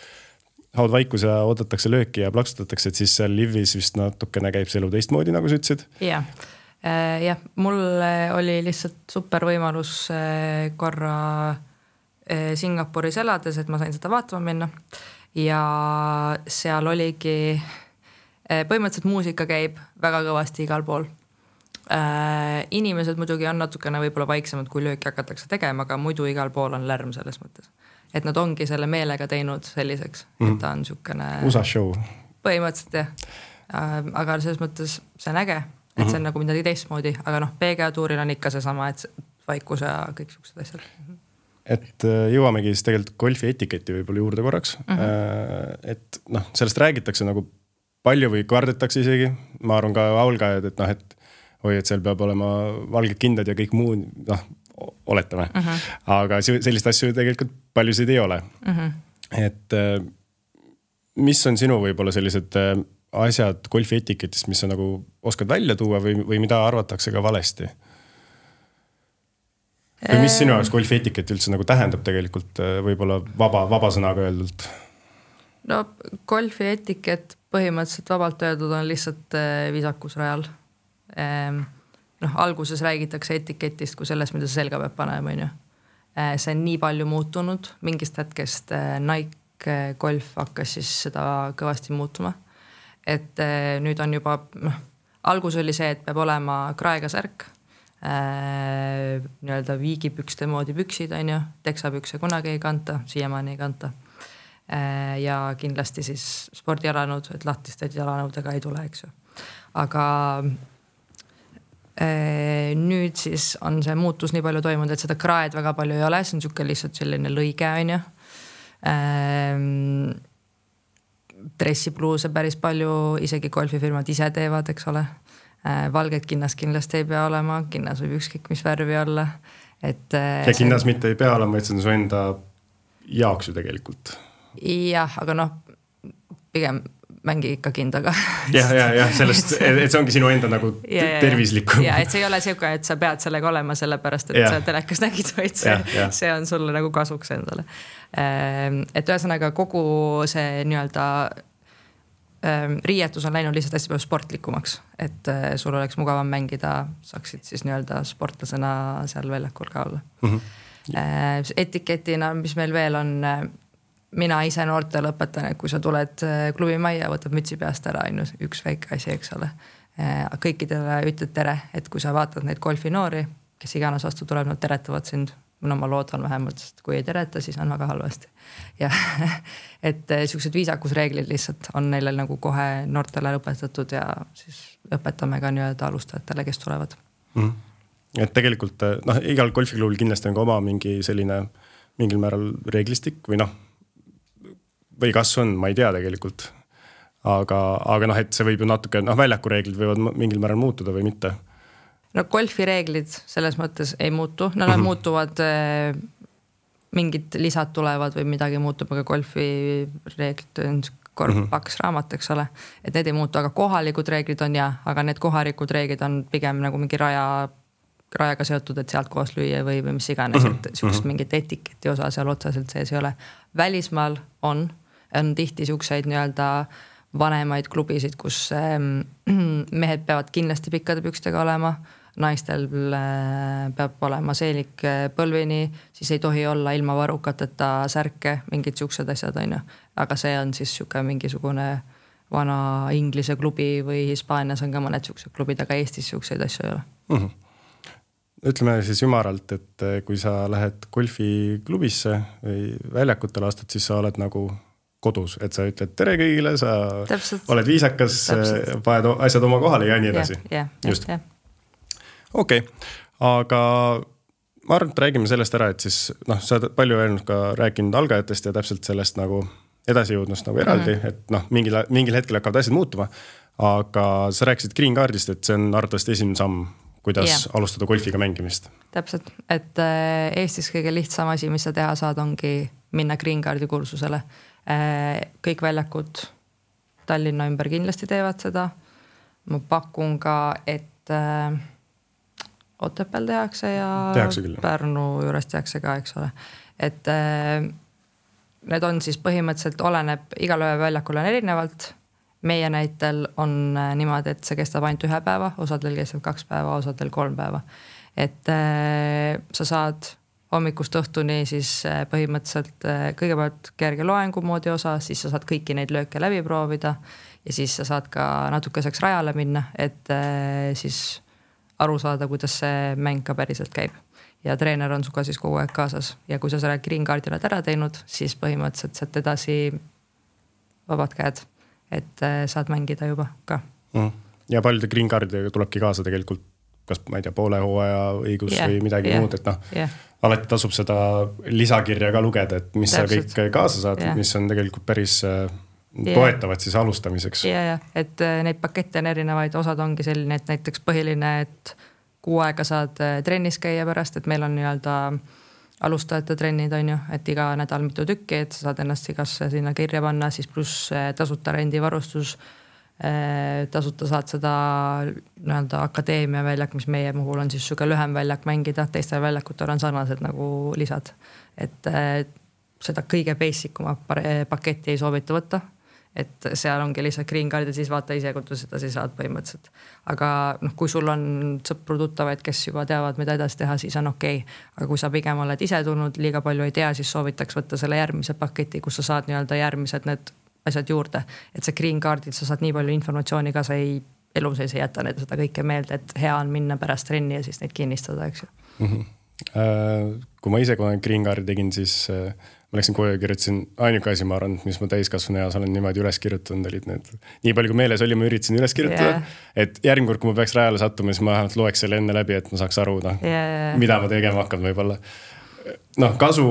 haud vaikus ja oodatakse lööki ja plaksutatakse, et siis seal Livis vist natukene käib see elu teistmoodi, nagu sa ütlesid. Jah, mul oli lihtsalt super võimalus korra Singapuris elades, et ma sain seda vaatama minna ja seal oligi põhimõtteliselt muusika käib väga kõvasti igal pool. Inimesed muidugi on natukene võib-olla vaiksemad, kui lööki hakatakse tegema, aga muidu igal pool on lärm selles mõttes. Et nad ongi selle meelega teinud selliseks, et ta on niisugune USA show. Põhimõtteliselt jah. Aga selles mõttes see on äge, et see on nagu midagi teistmoodi, aga PGA tuuril on ikka seesama, et vaikus ja kõik niisugused asjad. Et jõuamegi siis tegelikult golfi etiketi võib-olla juurde korraks. Et sellest räägitakse nagu palju või kardetakse isegi. Ma arvan ka aulgajad, et seal peab olema valged kindad ja kõik muu, oletame. Aga sellist asju tegelikult paljusid ei ole. Et mis on sinu võib-olla sellised asjad golfi etiketist, mis sa nagu oskad välja tuua või mida arvatakse ka valesti? Või mis sinu jaoks golfi etiket üldse nagu tähendab tegelikult võib-olla vaba sõnaga öeldult? No golfi etiket põhimõtteliselt vabalt öeldud on lihtsalt viisakusrajal. Alguses räägitakse etiketist kui sellest, mida sa selga peab panema, on ju. See on nii palju muutunud, mingist hetkest Nike Golf hakkas siis seda kõvasti muutuma. Et nüüd on juba, algus oli see, et peab olema kraega särk, nii-öelda viigipükste moodi püksid, on ju, teksapükse kunagi ei kanta, siiamaani ei kanta. Ja kindlasti siis spordijalanud, et lahtised jalanõudega ei tule, eks ju. Aga nüüd siis on see muutus nii palju toimunud, et seda kraed väga palju ei ole, see on niisugune lihtsalt selline lõige, on ju. Dressipluuse päris palju, isegi golfifirmad ise teevad, eks ole. Valged kinnas kindlasti ei pea olema, kinnas võib ükskõik mis värvi olla. Ja kinnas mitte ei pea olema, et see on su enda jaoks ju tegelikult. Jah, aga pigem mängi ikka kindaga. Ja sellest, et see ongi sinu enda nagu tervislikum. Ja, et see ei ole siuke, et sa pead sellega olema sellepärast, et sa telekas nägid, vaid see on sulle nagu kasuks endale. Et ühesõnaga kogu see nii-öelda riietus on läinud lihtsalt hästi palju sportlikumaks, et sul oleks mugavam mängida, saaksid siis nii-öelda sportlasena seal väljakul ka olla. Etiketina, mis meil veel on, mina ise noortele õpetan, et kui sa tuled klubi majja, võtab mütsi peast ära ainult üks väike asi, eks ole. Kõikidele ütled tere, et kui sa vaatad neid golfinoori, kes iganes vastu tuleb, nad teretavad sind. Ma loodan vähemalt, sest kui ei tereta, siis on väga halvasti. Ja et sellised viisakusreeglid lihtsalt on neile nagu kohe noortele õpetatud ja siis õpetame ka nii-öelda alustajatele, kes tulevad. Et tegelikult igal golfiklubil kindlasti on ka oma mingi selline mingil määral reeglistik või kas on, ma ei tea tegelikult. Aga et see võib ju natuke, väljakureeglid võivad mingil määral muutuda või mitte. Golfi reeglid selles mõttes ei muutu, nad muutuvad, mingid lisad tulevad või midagi muutub, aga golfi reeglid on paks raamat, eks ole, et need ei muutu, aga kohalikud reeglid on aga need kohalikud reeglid on pigem nagu mingi rajaga seotud, et sealt koos lüüa või mis iganes, et sellised mingit etiketi osa seal otseselt sees ei ole. Välismaal on tihti selliseid nii-öelda vanemaid klubisid, kus mehed peavad kindlasti pikkade pükstega olema, naistel peab olema seelik põlvini, siis ei tohi olla ilma varukateta särke, mingid siuksed asjad on ju. Aga see on siis mingisugune vana Inglise klubi või Hispaanias on ka mõned siuksed klubid, aga Eestis siukseid asju ei ole. Ütleme siis ümaralt, et kui sa lähed golfiklubisse või väljakutele astad, siis sa oled nagu kodus, et sa ütled tere kõigile, sa oled viisakas, paned asjad oma kohale ja nii edasi. Just. Okei, aga ma arvan, et räägime sellest ära, et siis sa oled palju rääkinud algajatest ja täpselt sellest nagu edasijõudnust nagu eraldi, et mingil hetkel hakkavad asjad muutuma, aga sa rääkisid Green Cardist, et see on arvatavasti esimene samm, kuidas alustada golfiga mängimist. Täpselt, et Eestis kõige lihtsam asi, mis sa teha saad, ongi minna Green Cardi kursusele. Kõik väljakud Tallinna ümber kindlasti teevad seda. Ma pakun ka, et Otepääl tehakse ja Pärnu juures tehakse ka, eks ole. Et need on siis põhimõtteliselt oleneb, igal väljakul on erinevalt. Meie näitel on niimoodi, et see kestab ainult 1 päeva, osadel kestab 2 päeva, osadel 3 päeva. Et sa saad hommikust õhtuni siis põhimõtteliselt kõigepealt kerge loengu moodi osa, siis sa saad kõiki neid lööke läbi proovida ja siis sa saad ka natukeseks rajale minna, et siis aru saada, kuidas see mäng ka päriselt käib. Ja treener on suga siis kogu aeg kaasas. Ja kui sa selle Green Cardi oled ära teinud, siis põhimõtteliselt saad edasi vabad käed, et saad mängida juba ka. Ja paljude Green Cardidega tulebki kaasa tegelikult, kas ma ei tea, poole hooaja õigus või midagi muud, et alati tasub seda lisakirja ka lugeda, et mis täpselt. Sa kõik kaasa saad, mis on tegelikult päris toetavad siis alustamiseks. Ja, et neid pakette on erinevaid, osad ongi selline, et näiteks põhiline, et 6 aega saad trennis käia pärast, et meil on nii-öelda alustajate trennid on ju, et iga nädal mitu tükki, et sa saad ennast igasse sinna kirja panna, siis pluss tasuta rendivarustus, tasuta saad seda nii-öelda akadeemia väljak, mis meie puhul on siis süge lühem väljak mängida, teistel väljakutel on sarnased nagu lisad, et seda kõige basicuma paketti ei soovita võtta. Et seal ongi lihtsalt Green Card ja siis vaata ise, kui seda siis saad põhimõtteliselt. Aga kui sul on sõpru tuttavaid, kes juba teavad, mida edasi teha, siis on okei. Aga kui sa pigem oled ise tulnud, liiga palju ei tea, siis soovitaks võtta selle järgmise paketi, kus sa saad nii-öelda järgmised need asjad juurde. Et see Green Cardil sa saad nii palju informatsiooni ka, sa ei elu sees ei jäta neid seda kõike meelde, et hea on minna pärast trenni ja siis neid kinnistada, eks ju. Kui ma ise kunagi green card'i tegin, siis ma läksin koju ja kirjutasin ainuke asi, ma arvan, mis ma täiskasvanu eas olen niimoodi üles kirjutanud, olid need. Nii palju kui meeles oli, ma üritasin üles kirjutada, et järgmine kord, kui ma peaks rajale sattuma, siis ma vähemalt loeks selle enne läbi, et ma saaks aru, mida ma tegema hakkan võib-olla. Kasu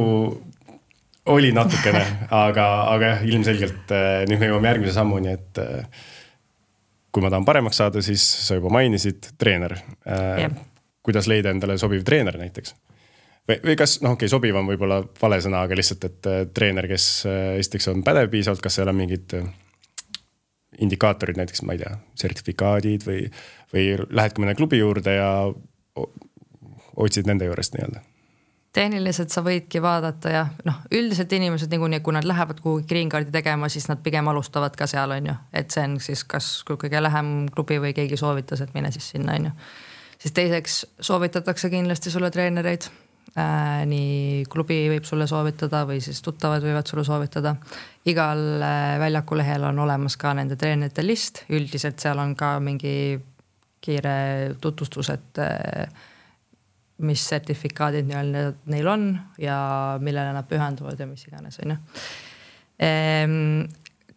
oli natukene, aga jah, ilmselgelt nüüd me jõuame järgmise sammuni, et kui ma tahan paremaks saada, siis sa juba mainisid treener. Kuidas leida endale sobiv treener näiteks? Või kas, sobiv on võib-olla vale sõna, aga lihtsalt, et treener, kes esiteks on pädev piisavalt, kas seal on mingid indikaatorid, näiteks, ma ei tea, sertifikaadid või lähedki mõne klubi juurde ja otsid nende juurest nii-öelda? Tehniliselt sa võidki vaadata ja üldiselt inimesed niikuinii, kui nad lähevad kuhugi green card'i tegema, siis nad pigem alustavad ka seal, on ju. Et see on siis kas kõige lähem klubi või keegi soovitas, et mine siis sinna, on ju. Siis teiseks soovitatakse kindlasti sulle treenereid. Nii klubi võib sulle soovitada või siis tuttavad võivad sulle soovitada. Igal väljaku lehel on olemas ka nende treenerite list. Üldiselt seal on ka mingi kiire tutvustus, et mis sertifikaadid neil on ja millele nad pühenduvad ja mis iganes, on ju.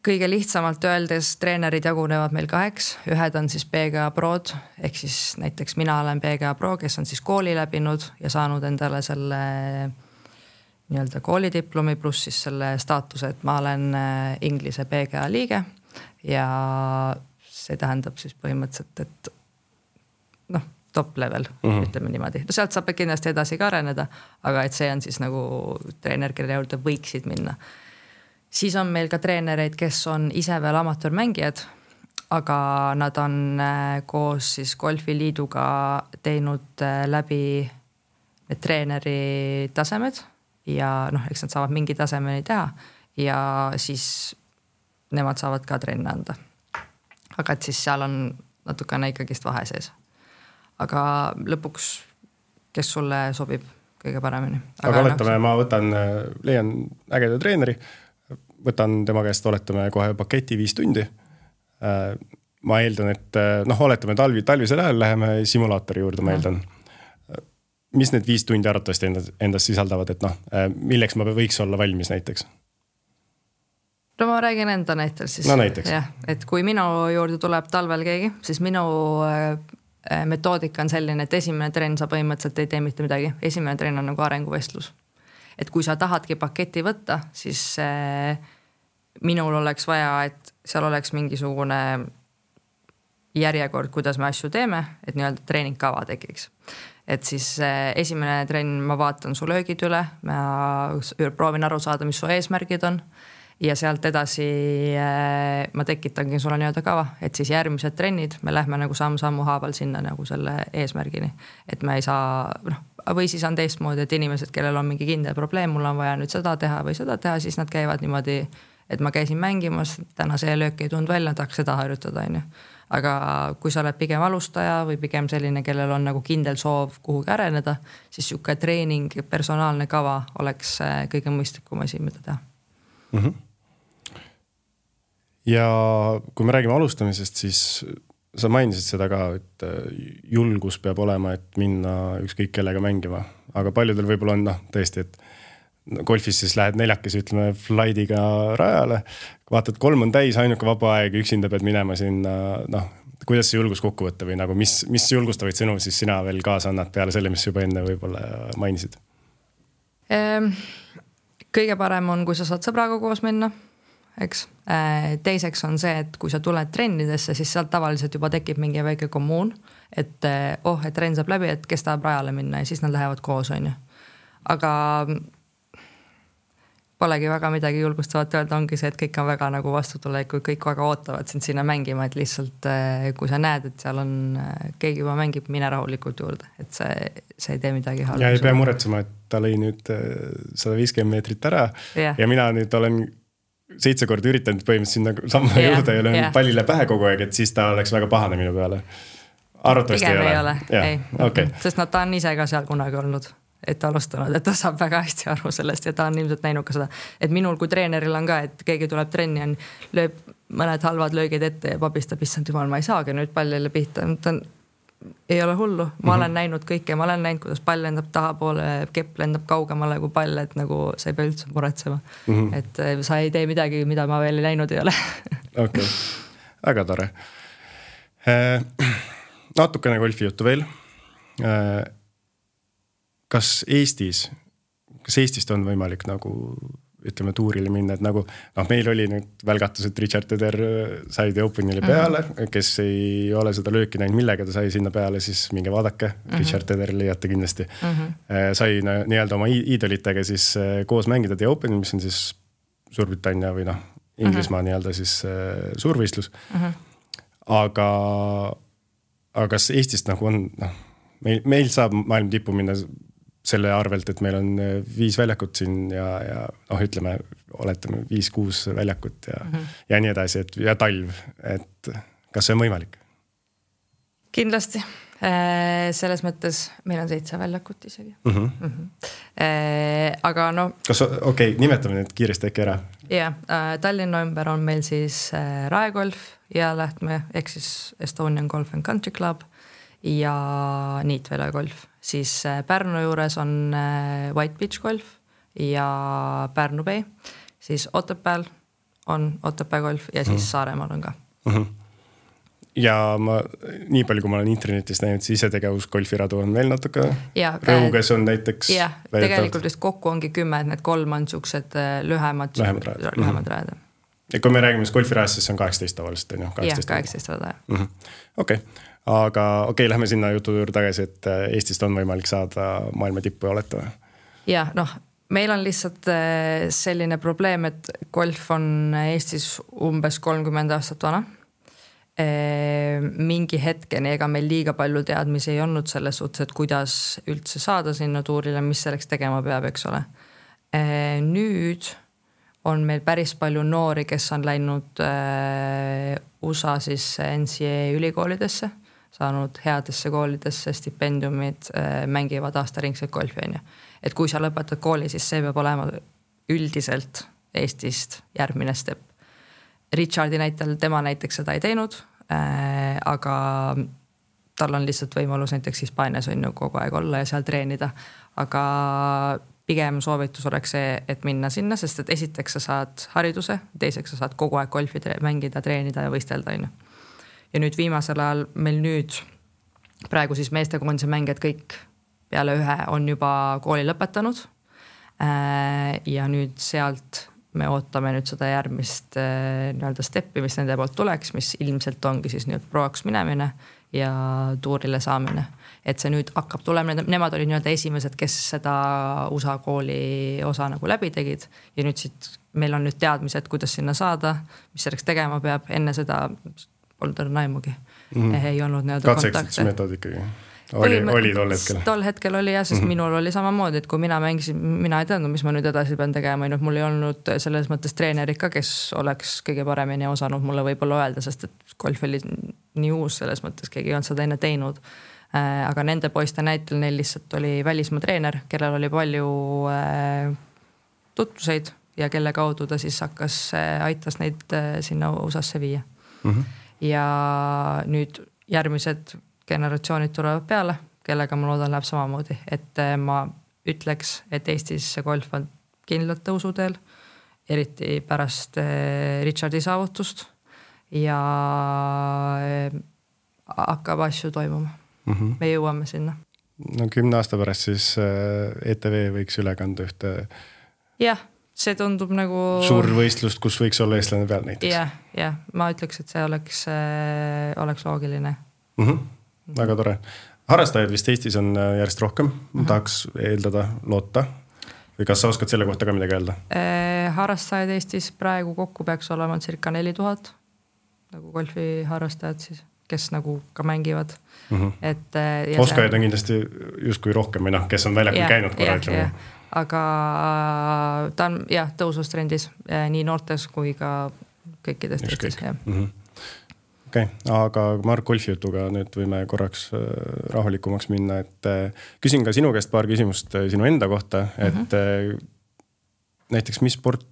Kõige lihtsamalt öeldes treenerid jagunevad meil 2. Ühed on siis PGA Prod, ehk siis näiteks mina olen PGA Pro, kes on siis kooli läbinud ja saanud endale selle nii-öelda koolidiplomi pluss siis selle staatuse, et ma olen Inglise PGA liige ja see tähendab siis põhimõtteliselt, et top level, ütleme niimoodi. Sealt saab kindlasti edasi ka areneda, aga et see on siis nagu treener, kelle juurde võiksid minna. Siis on meil ka treenereid, kes on ise veel amatöörmängijad, aga nad on koos siis golfiliiduga teinud läbi need treeneri tasemed ja eks nad saavad mingi tasemeni teha ja siis nemad saavad ka trenne anda. Aga et siis seal on natukene ikkagist vahe sees. Aga lõpuks, kes sulle sobib kõige paremini. Aga oletame, ma leian ägeda treeneri, võtan tema käest, oletame kohe paketi 5 tundi. Ma eeldan, et oletame talvisel ajal läheme simulaatori juurde, ma eeldan. Mis need 5 tundi arvatavasti endas sisaldavad, et milleks ma võiks olla valmis näiteks? No ma räägin enda näitel siis. No näiteks. Ja, et kui minu juurde tuleb talvel keegi, siis minu metoodika on selline, et esimene trenn sa põhimõtteliselt ei tee mitte midagi. Esimene trenn on nagu arenguvestlus. Et kui sa tahadki paketi võtta, siis minul oleks vaja, et seal oleks mingisugune järjekord, kuidas me asju teeme, et nii-öelda treeningkava tekiks. Et siis esimene trenn ma vaatan su löögid üle, ma proovin aru saada, mis su eesmärgid on ja sealt edasi ma tekitangi sulle nii-öelda kava, et siis järgmised trennid me lähme nagu sammu haaval sinna nagu selle eesmärgini, et me ei saa, või siis on teistmoodi, et inimesed, kellel on mingi kindel probleem, mul on vaja nüüd seda teha või seda teha, siis nad käivad niimoodi, et ma käisin mängimas, täna see löök ei tund välja, tahaks seda harjutada, on ju. Aga kui sa oled pigem alustaja või pigem selline, kellel on nagu kindel soov kuhugi areneda, siis siuke treening, personaalne kava oleks kõige mõistlikum asi, mida teha. Ja kui me räägime alustamisest, siis sa mainisid seda ka, et julgus peab olema, et minna ükskõik kellega mängima. Aga paljudel võib-olla on tõesti, et golfis siis lähed 4, ütleme, flightiga rajale. Vaatad, 3 on täis, ainuke vaba aeg, üksinda pead minema sinna. Kuidas see julgus kokku võtta või nagu, mis julgustavaid sõnu siis sina veel kaasa annad peale selle, mis juba enne võib-olla mainisid? Kõige parem on, kui sa saad sõbraga koos minna. Eks. Teiseks on see, et kui sa tuled trennidesse, siis sealt tavaliselt juba tekib mingi väike kommuun, et et trenn saab läbi, et kes tahab rajale minna ja siis nad lähevad koos, on ju. Aga polegi väga midagi julgustavat öelda, ongi see, et kõik on väga nagu vastutulekud, kõik väga ootavad sind sinna mängima, et lihtsalt kui sa näed, et seal on keegi juba mängib, mine rahulikult juurde, et see ei tee midagi halba. Ja ei pea muretsema, et ta lõi nüüd 150 meetrit ära ja mina nüüd olen 7 korda üritanud põhimõtteliselt sinna samma juurde ja löön pallile pähe kogu aeg, et siis ta oleks väga pahane minu peale. Arvatavasti ei ole. Okay. Sest ta on ise ka seal kunagi olnud. et alustanud, et ta saab väga hästi aru sellest ja ta on ilmselt näinud ka seda, et minul kui treeneril on ka, et keegi tuleb trenni, lööb mõned halvad löögid ette ja pabistab, issand jumal, ma ei saagi nüüd pallile pihta, ei ole hullu, ma olen näinud kõike, ma olen näinud, kuidas pall lendab tahapoole, kepp lendab kaugemale kui pall, et nagu sa ei pea üldse muretsema. Et sa ei tee midagi, mida ma veel ei näinud ei ole. Okei, väga tore. Natukene golfi juttu veel. Kas Eestist on võimalik nagu ütleme tuurile minna, et nagu meil oli nüüd välgatus, et Richard Teder sai The Openile peale, kes ei ole seda lööki näinud, millega ta sai sinna peale, siis minge vaadake, Richard Teder leiate kindlasti. Sai nii-öelda oma iidolitega siis koos mängida The Openil, mis on siis Suurbritannia või Inglismaa nii-öelda siis suurvõistlus. Aga kas Eestist nagu on, meil saab maailma tippu minna selle arvelt, et meil on 5 väljakut siin ja ütleme, oletame 5-6 väljakut ja nii edasi, ja talv, et kas see on võimalik? Kindlasti. Selles mõttes meil on 7 väljakut isegi. Aga kas, nimetame need kiiresti äkki ära? Tallinna ümber on meil siis Raekolf ja Lähtme, ehk siis Estonian Golf and Country Club ja Niitvere golf. Siis Pärnu juures on White Beach golf ja Pärnu Bay. Siis Otepääl on Otepää golf ja siis Saaremaal on ka. Ja nii palju, kui ma olen internetis näinud, siis isetegevus golfiradu on veel natuke. Rõuges on näiteks. Tegelikult vist kokku ongi 10, need 3 on siuksed lühemad rajad. Ja kui me räägime golfirajast, siis on 18 tavaliselt. 18 rada. Okei. Aga lähme sinna jutu juurde tagasi, et Eestist on võimalik saada maailma tippu ja olete või? Meil on lihtsalt selline probleem, et golf on Eestis umbes 30 aastat vana. Mingi hetkeni, ega meil liiga palju teadmisi ei olnud selles suhtes, et kuidas üldse saada sinna tuurile, mis selleks tegema peab, eks ole. Nüüd on meil päris palju noori, kes on läinud USA siis NCAA ülikoolidesse, saanud headesse koolidesse stipendiumid, mängivad aastaringselt golfi. Et kui sa lõpetad kooli, siis see peab olema üldiselt Eestist järgmine step. Richardi näitel, tema näiteks seda ei teinud, aga tal on lihtsalt võimalus näiteks Hispaanias on ju kogu aeg olla ja seal treenida, aga pigem soovitus oleks see, et minna sinna, sest et esiteks sa saad hariduse, teiseks sa saad kogu aeg golfi mängida, treenida ja võistelda. Ja nüüd viimasel ajal meil praegu siis meestekoondise mängijad kõik peale 1 on juba kooli lõpetanud ja nüüd sealt me ootame nüüd seda järgmist nii-öelda steppi, mis nende poolt tuleks, mis ilmselt ongi siis nüüd proaks minemine ja tuurile saamine. Et see nüüd hakkab tulema, nemad olid nii-öelda esimesed, kes seda USA kooli osa nagu läbi tegid ja nüüd siit meil on nüüd teadmised, kuidas sinna saada, mis selleks tegema peab, enne seda polnud naimugi. Ei olnud nii-öelda kontakte. Katse metood ikkagi? Oli tol hetkel? Tol hetkel oli jah, sest minul oli samamoodi, et kui mina mängisin, mina ei teadnud, mis ma nüüd edasi pean tegema, mul ei olnud selles mõttes treenerit ka, kes oleks kõige paremini osanud mulle võib-olla öelda, sest et golf oli nii uus selles mõttes, keegi ei olnud seda enne teinud. Aga nende poiste näitel neil lihtsalt oli välismaa treener, kellel oli palju tutvuseid ja kelle kaudu ta siis aitas neid sinna USA-sse viia. Ja nüüd järgmised generatsioonid tulevad peale, kellega ma loodan läheb samamoodi, et ma ütleks, et Eestis see golf on kindlalt tõusuteel, eriti pärast Richardi saavutust ja hakkab asju toimuma. Me jõuame sinna. 10 aasta pärast siis ETV võiks üle kanda ühte see tundub nagu suur võistlust, kus võiks olla eestlane peal näiteks. Ma ütleks, et see oleks loogiline. Väga tore. Harrastajaid vist Eestis on järjest rohkem, tahaks eeldada, loota. Või kas sa oskad selle kohta ka midagi öelda? Harrastajaid Eestis praegu kokku peaks olema circa 4000 nagu golfi harrastajad siis, kes nagu ka mängivad. Oskajaid on kindlasti justkui rohkem, kes on väljakul käinud korra. Aga ta on tõusustrendis nii noortes kui ka kõikides teistes. Okei, aga Mark golfi jutuga nüüd võime korraks rahulikumaks minna, et küsin ka sinu käest paar küsimust sinu enda kohta, et näiteks mis sport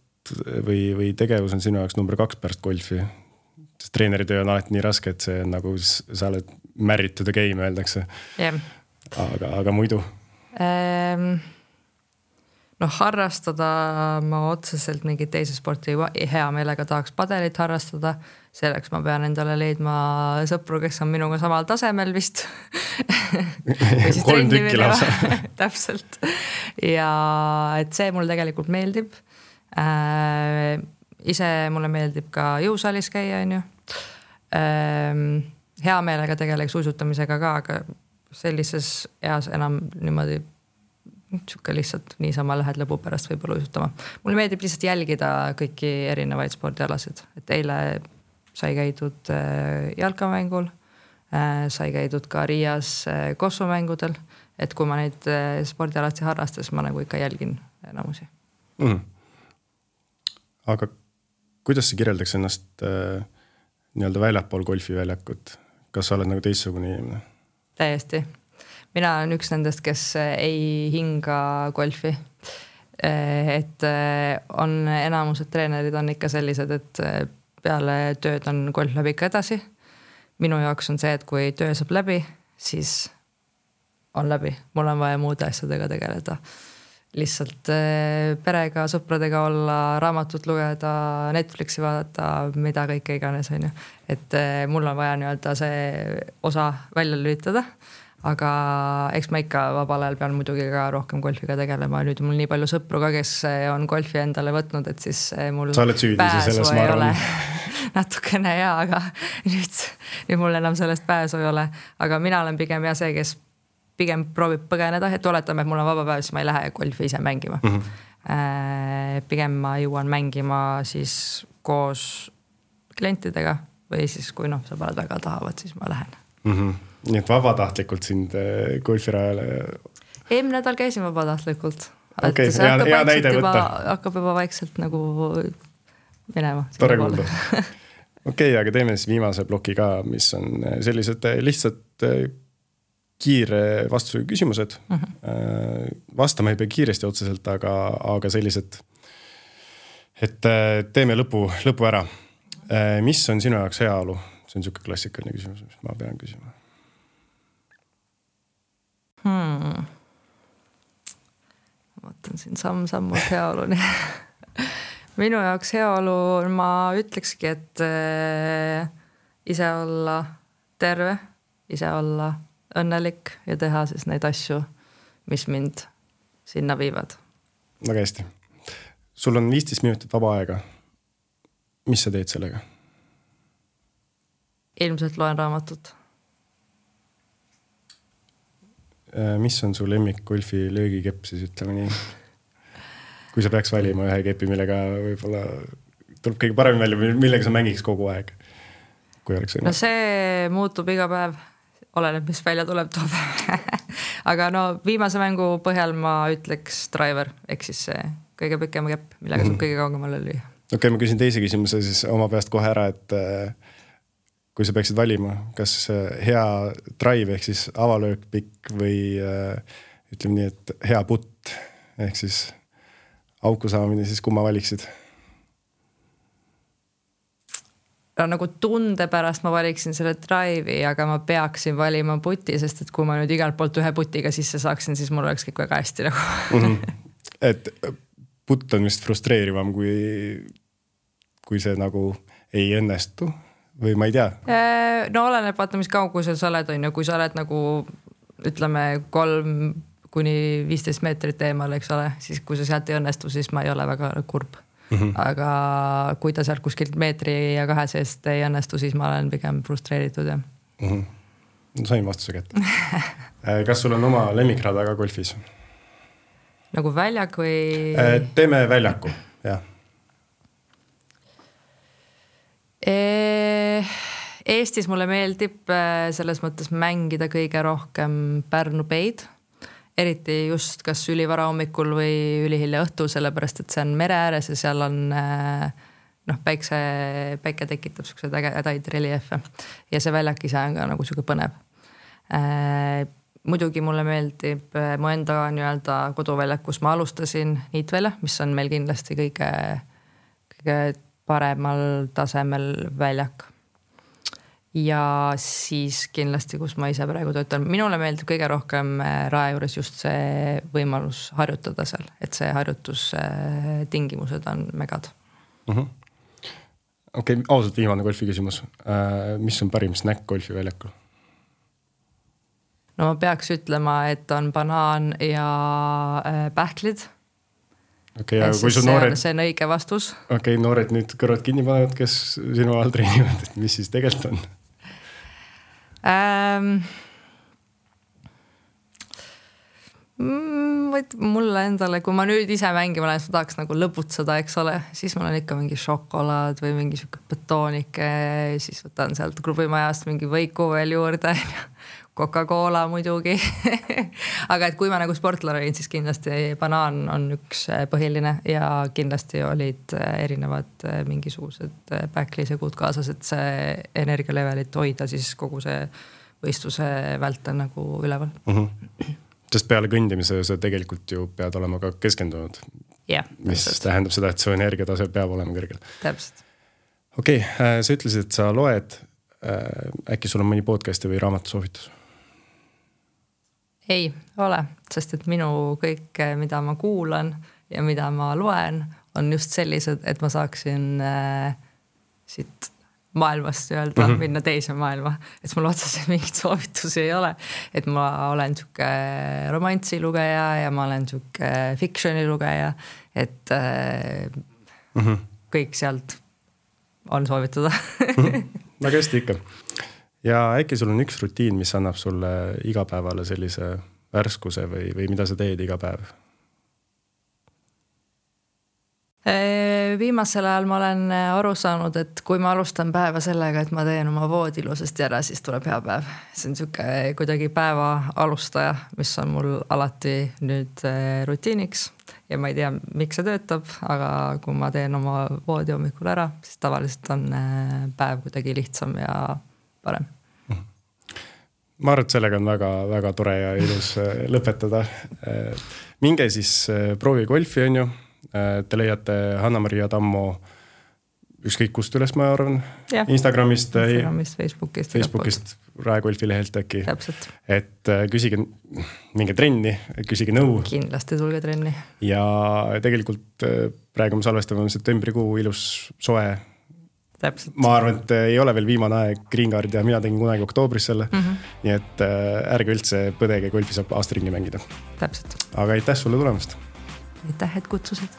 või tegevus on sinu jaoks number 2 pärast golfi? Sest treeneritöö on alati nii raske, et see on nagu sa oled married to the game, öeldakse. Yeah. Aga muidu? Harrastada ma otseselt mingit teise sporti hea meelega tahaks padelit harrastada. Selleks ma pean endale leidma sõpru, kes on minuga samal tasemel vist. 3 tükki lausa. Täpselt. Ja et see mul tegelikult meeldib. Ise mulle meeldib ka jõusaalis käia, on ju. Hea meelega tegeleks uisutamisega ka, aga sellises eas enam niimoodi lihtsalt niisama lähed lõbu pärast võib-olla uisutama. Mulle meeldib lihtsalt jälgida kõiki erinevaid spordialasid. Et eile sai käidud jalkamängul, sai käidud ka Riias kossumängudel, et kui ma neid spordialasid harrastas, ma nagu ikka jälgin enamusi. Aga kuidas sa kirjeldaks ennast nii-öelda väljapool golfiväljakut? Kas sa oled nagu teistsugune inimene? Täiesti. Mina olen üks nendest, kes ei hinga golfi. Et on enamused treenerid on ikka sellised, et peale tööd on golf läbi ikka edasi. Minu jaoks on see, et kui töö saab läbi, siis on läbi. Mul on vaja muude asjadega tegeleda. Lihtsalt perega, sõpradega olla, raamatut lugeda, Netflixi vaadata, mida kõike iganes on ju. Et mul on vaja nii-öelda see osa välja lülitada. Aga eks ma ikka vabal ajal pean muidugi ka rohkem golfiga tegelema. Nüüd mul nii palju sõpru ka, kes on golfi endale võtnud, et siis mul sa oled süüdi selles, ma arvan. Natukene hea, aga nüüd mul enam sellest pääsu ei ole. Aga mina olen pigem see, kes pigem proovib põgeneda, et oletame, et mul on vaba päev, siis ma ei lähe golfi ise mängima. Pigem ma jõuan mängima siis koos klientidega või siis kui sõbrad väga tahavad, siis ma lähen. Nii et vabatahtlikult sind golfirajale? Eelmine nädal käisin vabatahtlikult. Okei, hea näide võtta. Hakkab juba vaikselt nagu minema. Tore kuulda. Okei, aga teeme siis viimase ploki ka, mis on sellised lihtsalt kiire vastusega küsimused. Vastama ei pea kiiresti otseselt, aga sellised, et teeme lõpu ära. Mis on sinu jaoks heaolu? See on niisugune klassikaline küsimus, mis ma pean küsima. Vaatan siin samm-sammud heaoluni. Minu jaoks heaolu, ma ütlekski, et ise olla terve, ise olla õnnelik ja teha siis neid asju, mis mind sinna viivad. Väga hästi. Sul on 15 minutit vaba aega. Mis sa teed sellega? Ilmselt loen raamatut. Mis on su lemmik golfi löögikepp siis, ütleme nii? Kui sa peaks valima ühe kepi, millega võib-olla tuleb kõige parem välja, millega sa mängiks kogu aeg? Kui oleks no see muutub iga päev, oleneb, mis välja tuleb toob. Aga viimase mängu põhjal ma ütleks driver, ehk siis see kõige pikem kepp, millega saab kõige kaugemale lüüa. Okei, ma küsin teise küsimuse siis oma peast kohe ära, et kui sa peaksid valima, kas hea drive ehk siis avalöök pikk või ütleme nii, et hea putt ehk siis auku saamine, siis kumma valiksid? Nagu tunde pärast ma valiksin selle drive'i, aga ma peaksin valima putti, sest et kui ma nüüd igalt poolt ühe putiga sisse saaksin, siis mul oleks kõik väga hästi nagu. Et putt on vist frustreerivam, kui see nagu ei õnnestu? Või ma ei tea? No oleneb, vaata, mis kaugusel sa oled, on ju, kui sa oled nagu ütleme 3-15 meetrit eemal, eks ole, siis kui sa sealt ei õnnestu, siis ma ei ole väga kurb. Aga kui ta sealt kuskilt meetri ja 2 seest ei õnnestu, siis ma olen pigem frustreeritud. Ja. Sain vastuse kätte. Kas sul on oma lemmikrada ka golfis? Nagu väljak või? Teeme väljaku, jah. Eestis mulle meeldib selles mõttes mängida kõige rohkem Pärnu Peid, eriti just kas ülivara hommikul või ülihilja õhtul, sellepärast et see on mere ääres ja seal on päike tekitab siukseid ägedaid reljeefe ja see väljak ise on ka nagu siuke põnev. Muidugi mulle meeldib mu enda nii-öelda koduväljak, kus ma alustasin, Niitvälja, mis on meil kindlasti kõige paremal tasemel väljak. Ja siis kindlasti, kus ma ise praegu töötan, minule meeldib kõige rohkem Rae juures just see võimalus harjutada seal, et see harjutustingimused on megad. Okei, ausalt viimane golfi küsimus. Mis on parim snäkk golfi väljakul? No ma peaks ütlema, et on banaan ja pähklid. Okay, ja kui noored... See on õige vastus. Okei, noored nüüd kõrvad kinni panevad, kes sinu all treenivad, et mis siis tegelikult on? Mulle endale, kui ma nüüd ise mängima olen, ma tahaks nagu lõputseda, eks ole, siis mul on ikka mingi šokolaad või mingi siuke betoonike, siis võtan sealt klubimajast mingi võiku veel juurde, Coca-Cola muidugi. Aga et kui ma nagu sportlane olin, siis kindlasti banaan on üks põhiline ja kindlasti olid erinevad mingisugused pähklisegud kaasas, et see energialevelit hoida siis kogu see võistluse vält on nagu üleval. Sest peale kõndimise sa tegelikult ju pead olema ka keskendunud. Yeah, mis tähendab seda, et su energiatase peab olema kõrgel. Täpselt. Okei, sa ütlesid, et sa loed. Äkki sul on mõni podcasti või raamatusoovitus? Ei ole, sest et minu kõik, mida ma kuulan ja mida ma loen, on just sellised, et ma saaksin siit maailmast öelda, minna teise maailma. Et mul otseselt mingit soovitusi ei ole. Et ma olen siuke romantsi lugeja ja ma olen siuke fictioni lugeja. Et kõik sealt on soovitada. Väga hästi ikka. Ja äkki sul on üks rutiin, mis annab sulle igapäevale sellise värskuse või mida sa teed iga päev? Viimasel ajal ma olen aru saanud, et kui ma alustan päeva sellega, et ma teen oma voodi ilusasti ära, siis tuleb hea päev. See on siuke kuidagi päeva alustaja, mis on mul alati nüüd rutiiniks ja ma ei tea, miks see töötab, aga kui ma teen oma voodi hommikul ära, siis tavaliselt on päev kuidagi lihtsam ja parem. Ma arvan, et sellega on väga, väga tore ja ilus lõpetada. Minge siis proovi golfi, on ju. Te leiate Hanna-Maria Tammo ükskõik kust üles, ma arvan. Ja. Instagramist, Facebookist Rae golfi lehelt äkki. Täpselt. Et küsige minge trenni, küsige nõu. Kindlasti tulge trenni. Ja tegelikult praegu me salvestame septembrikuu ilus soe. Täpselt. Ma arvan, et ei ole veel viimane aeg Green Card ja mina tegin kunagi oktoobris selle. Nii et ärge üldse põdege, golfi saab aastaringi mängida. Täpselt. Aga aitäh sulle tulemast. Aitäh, et kutsusid.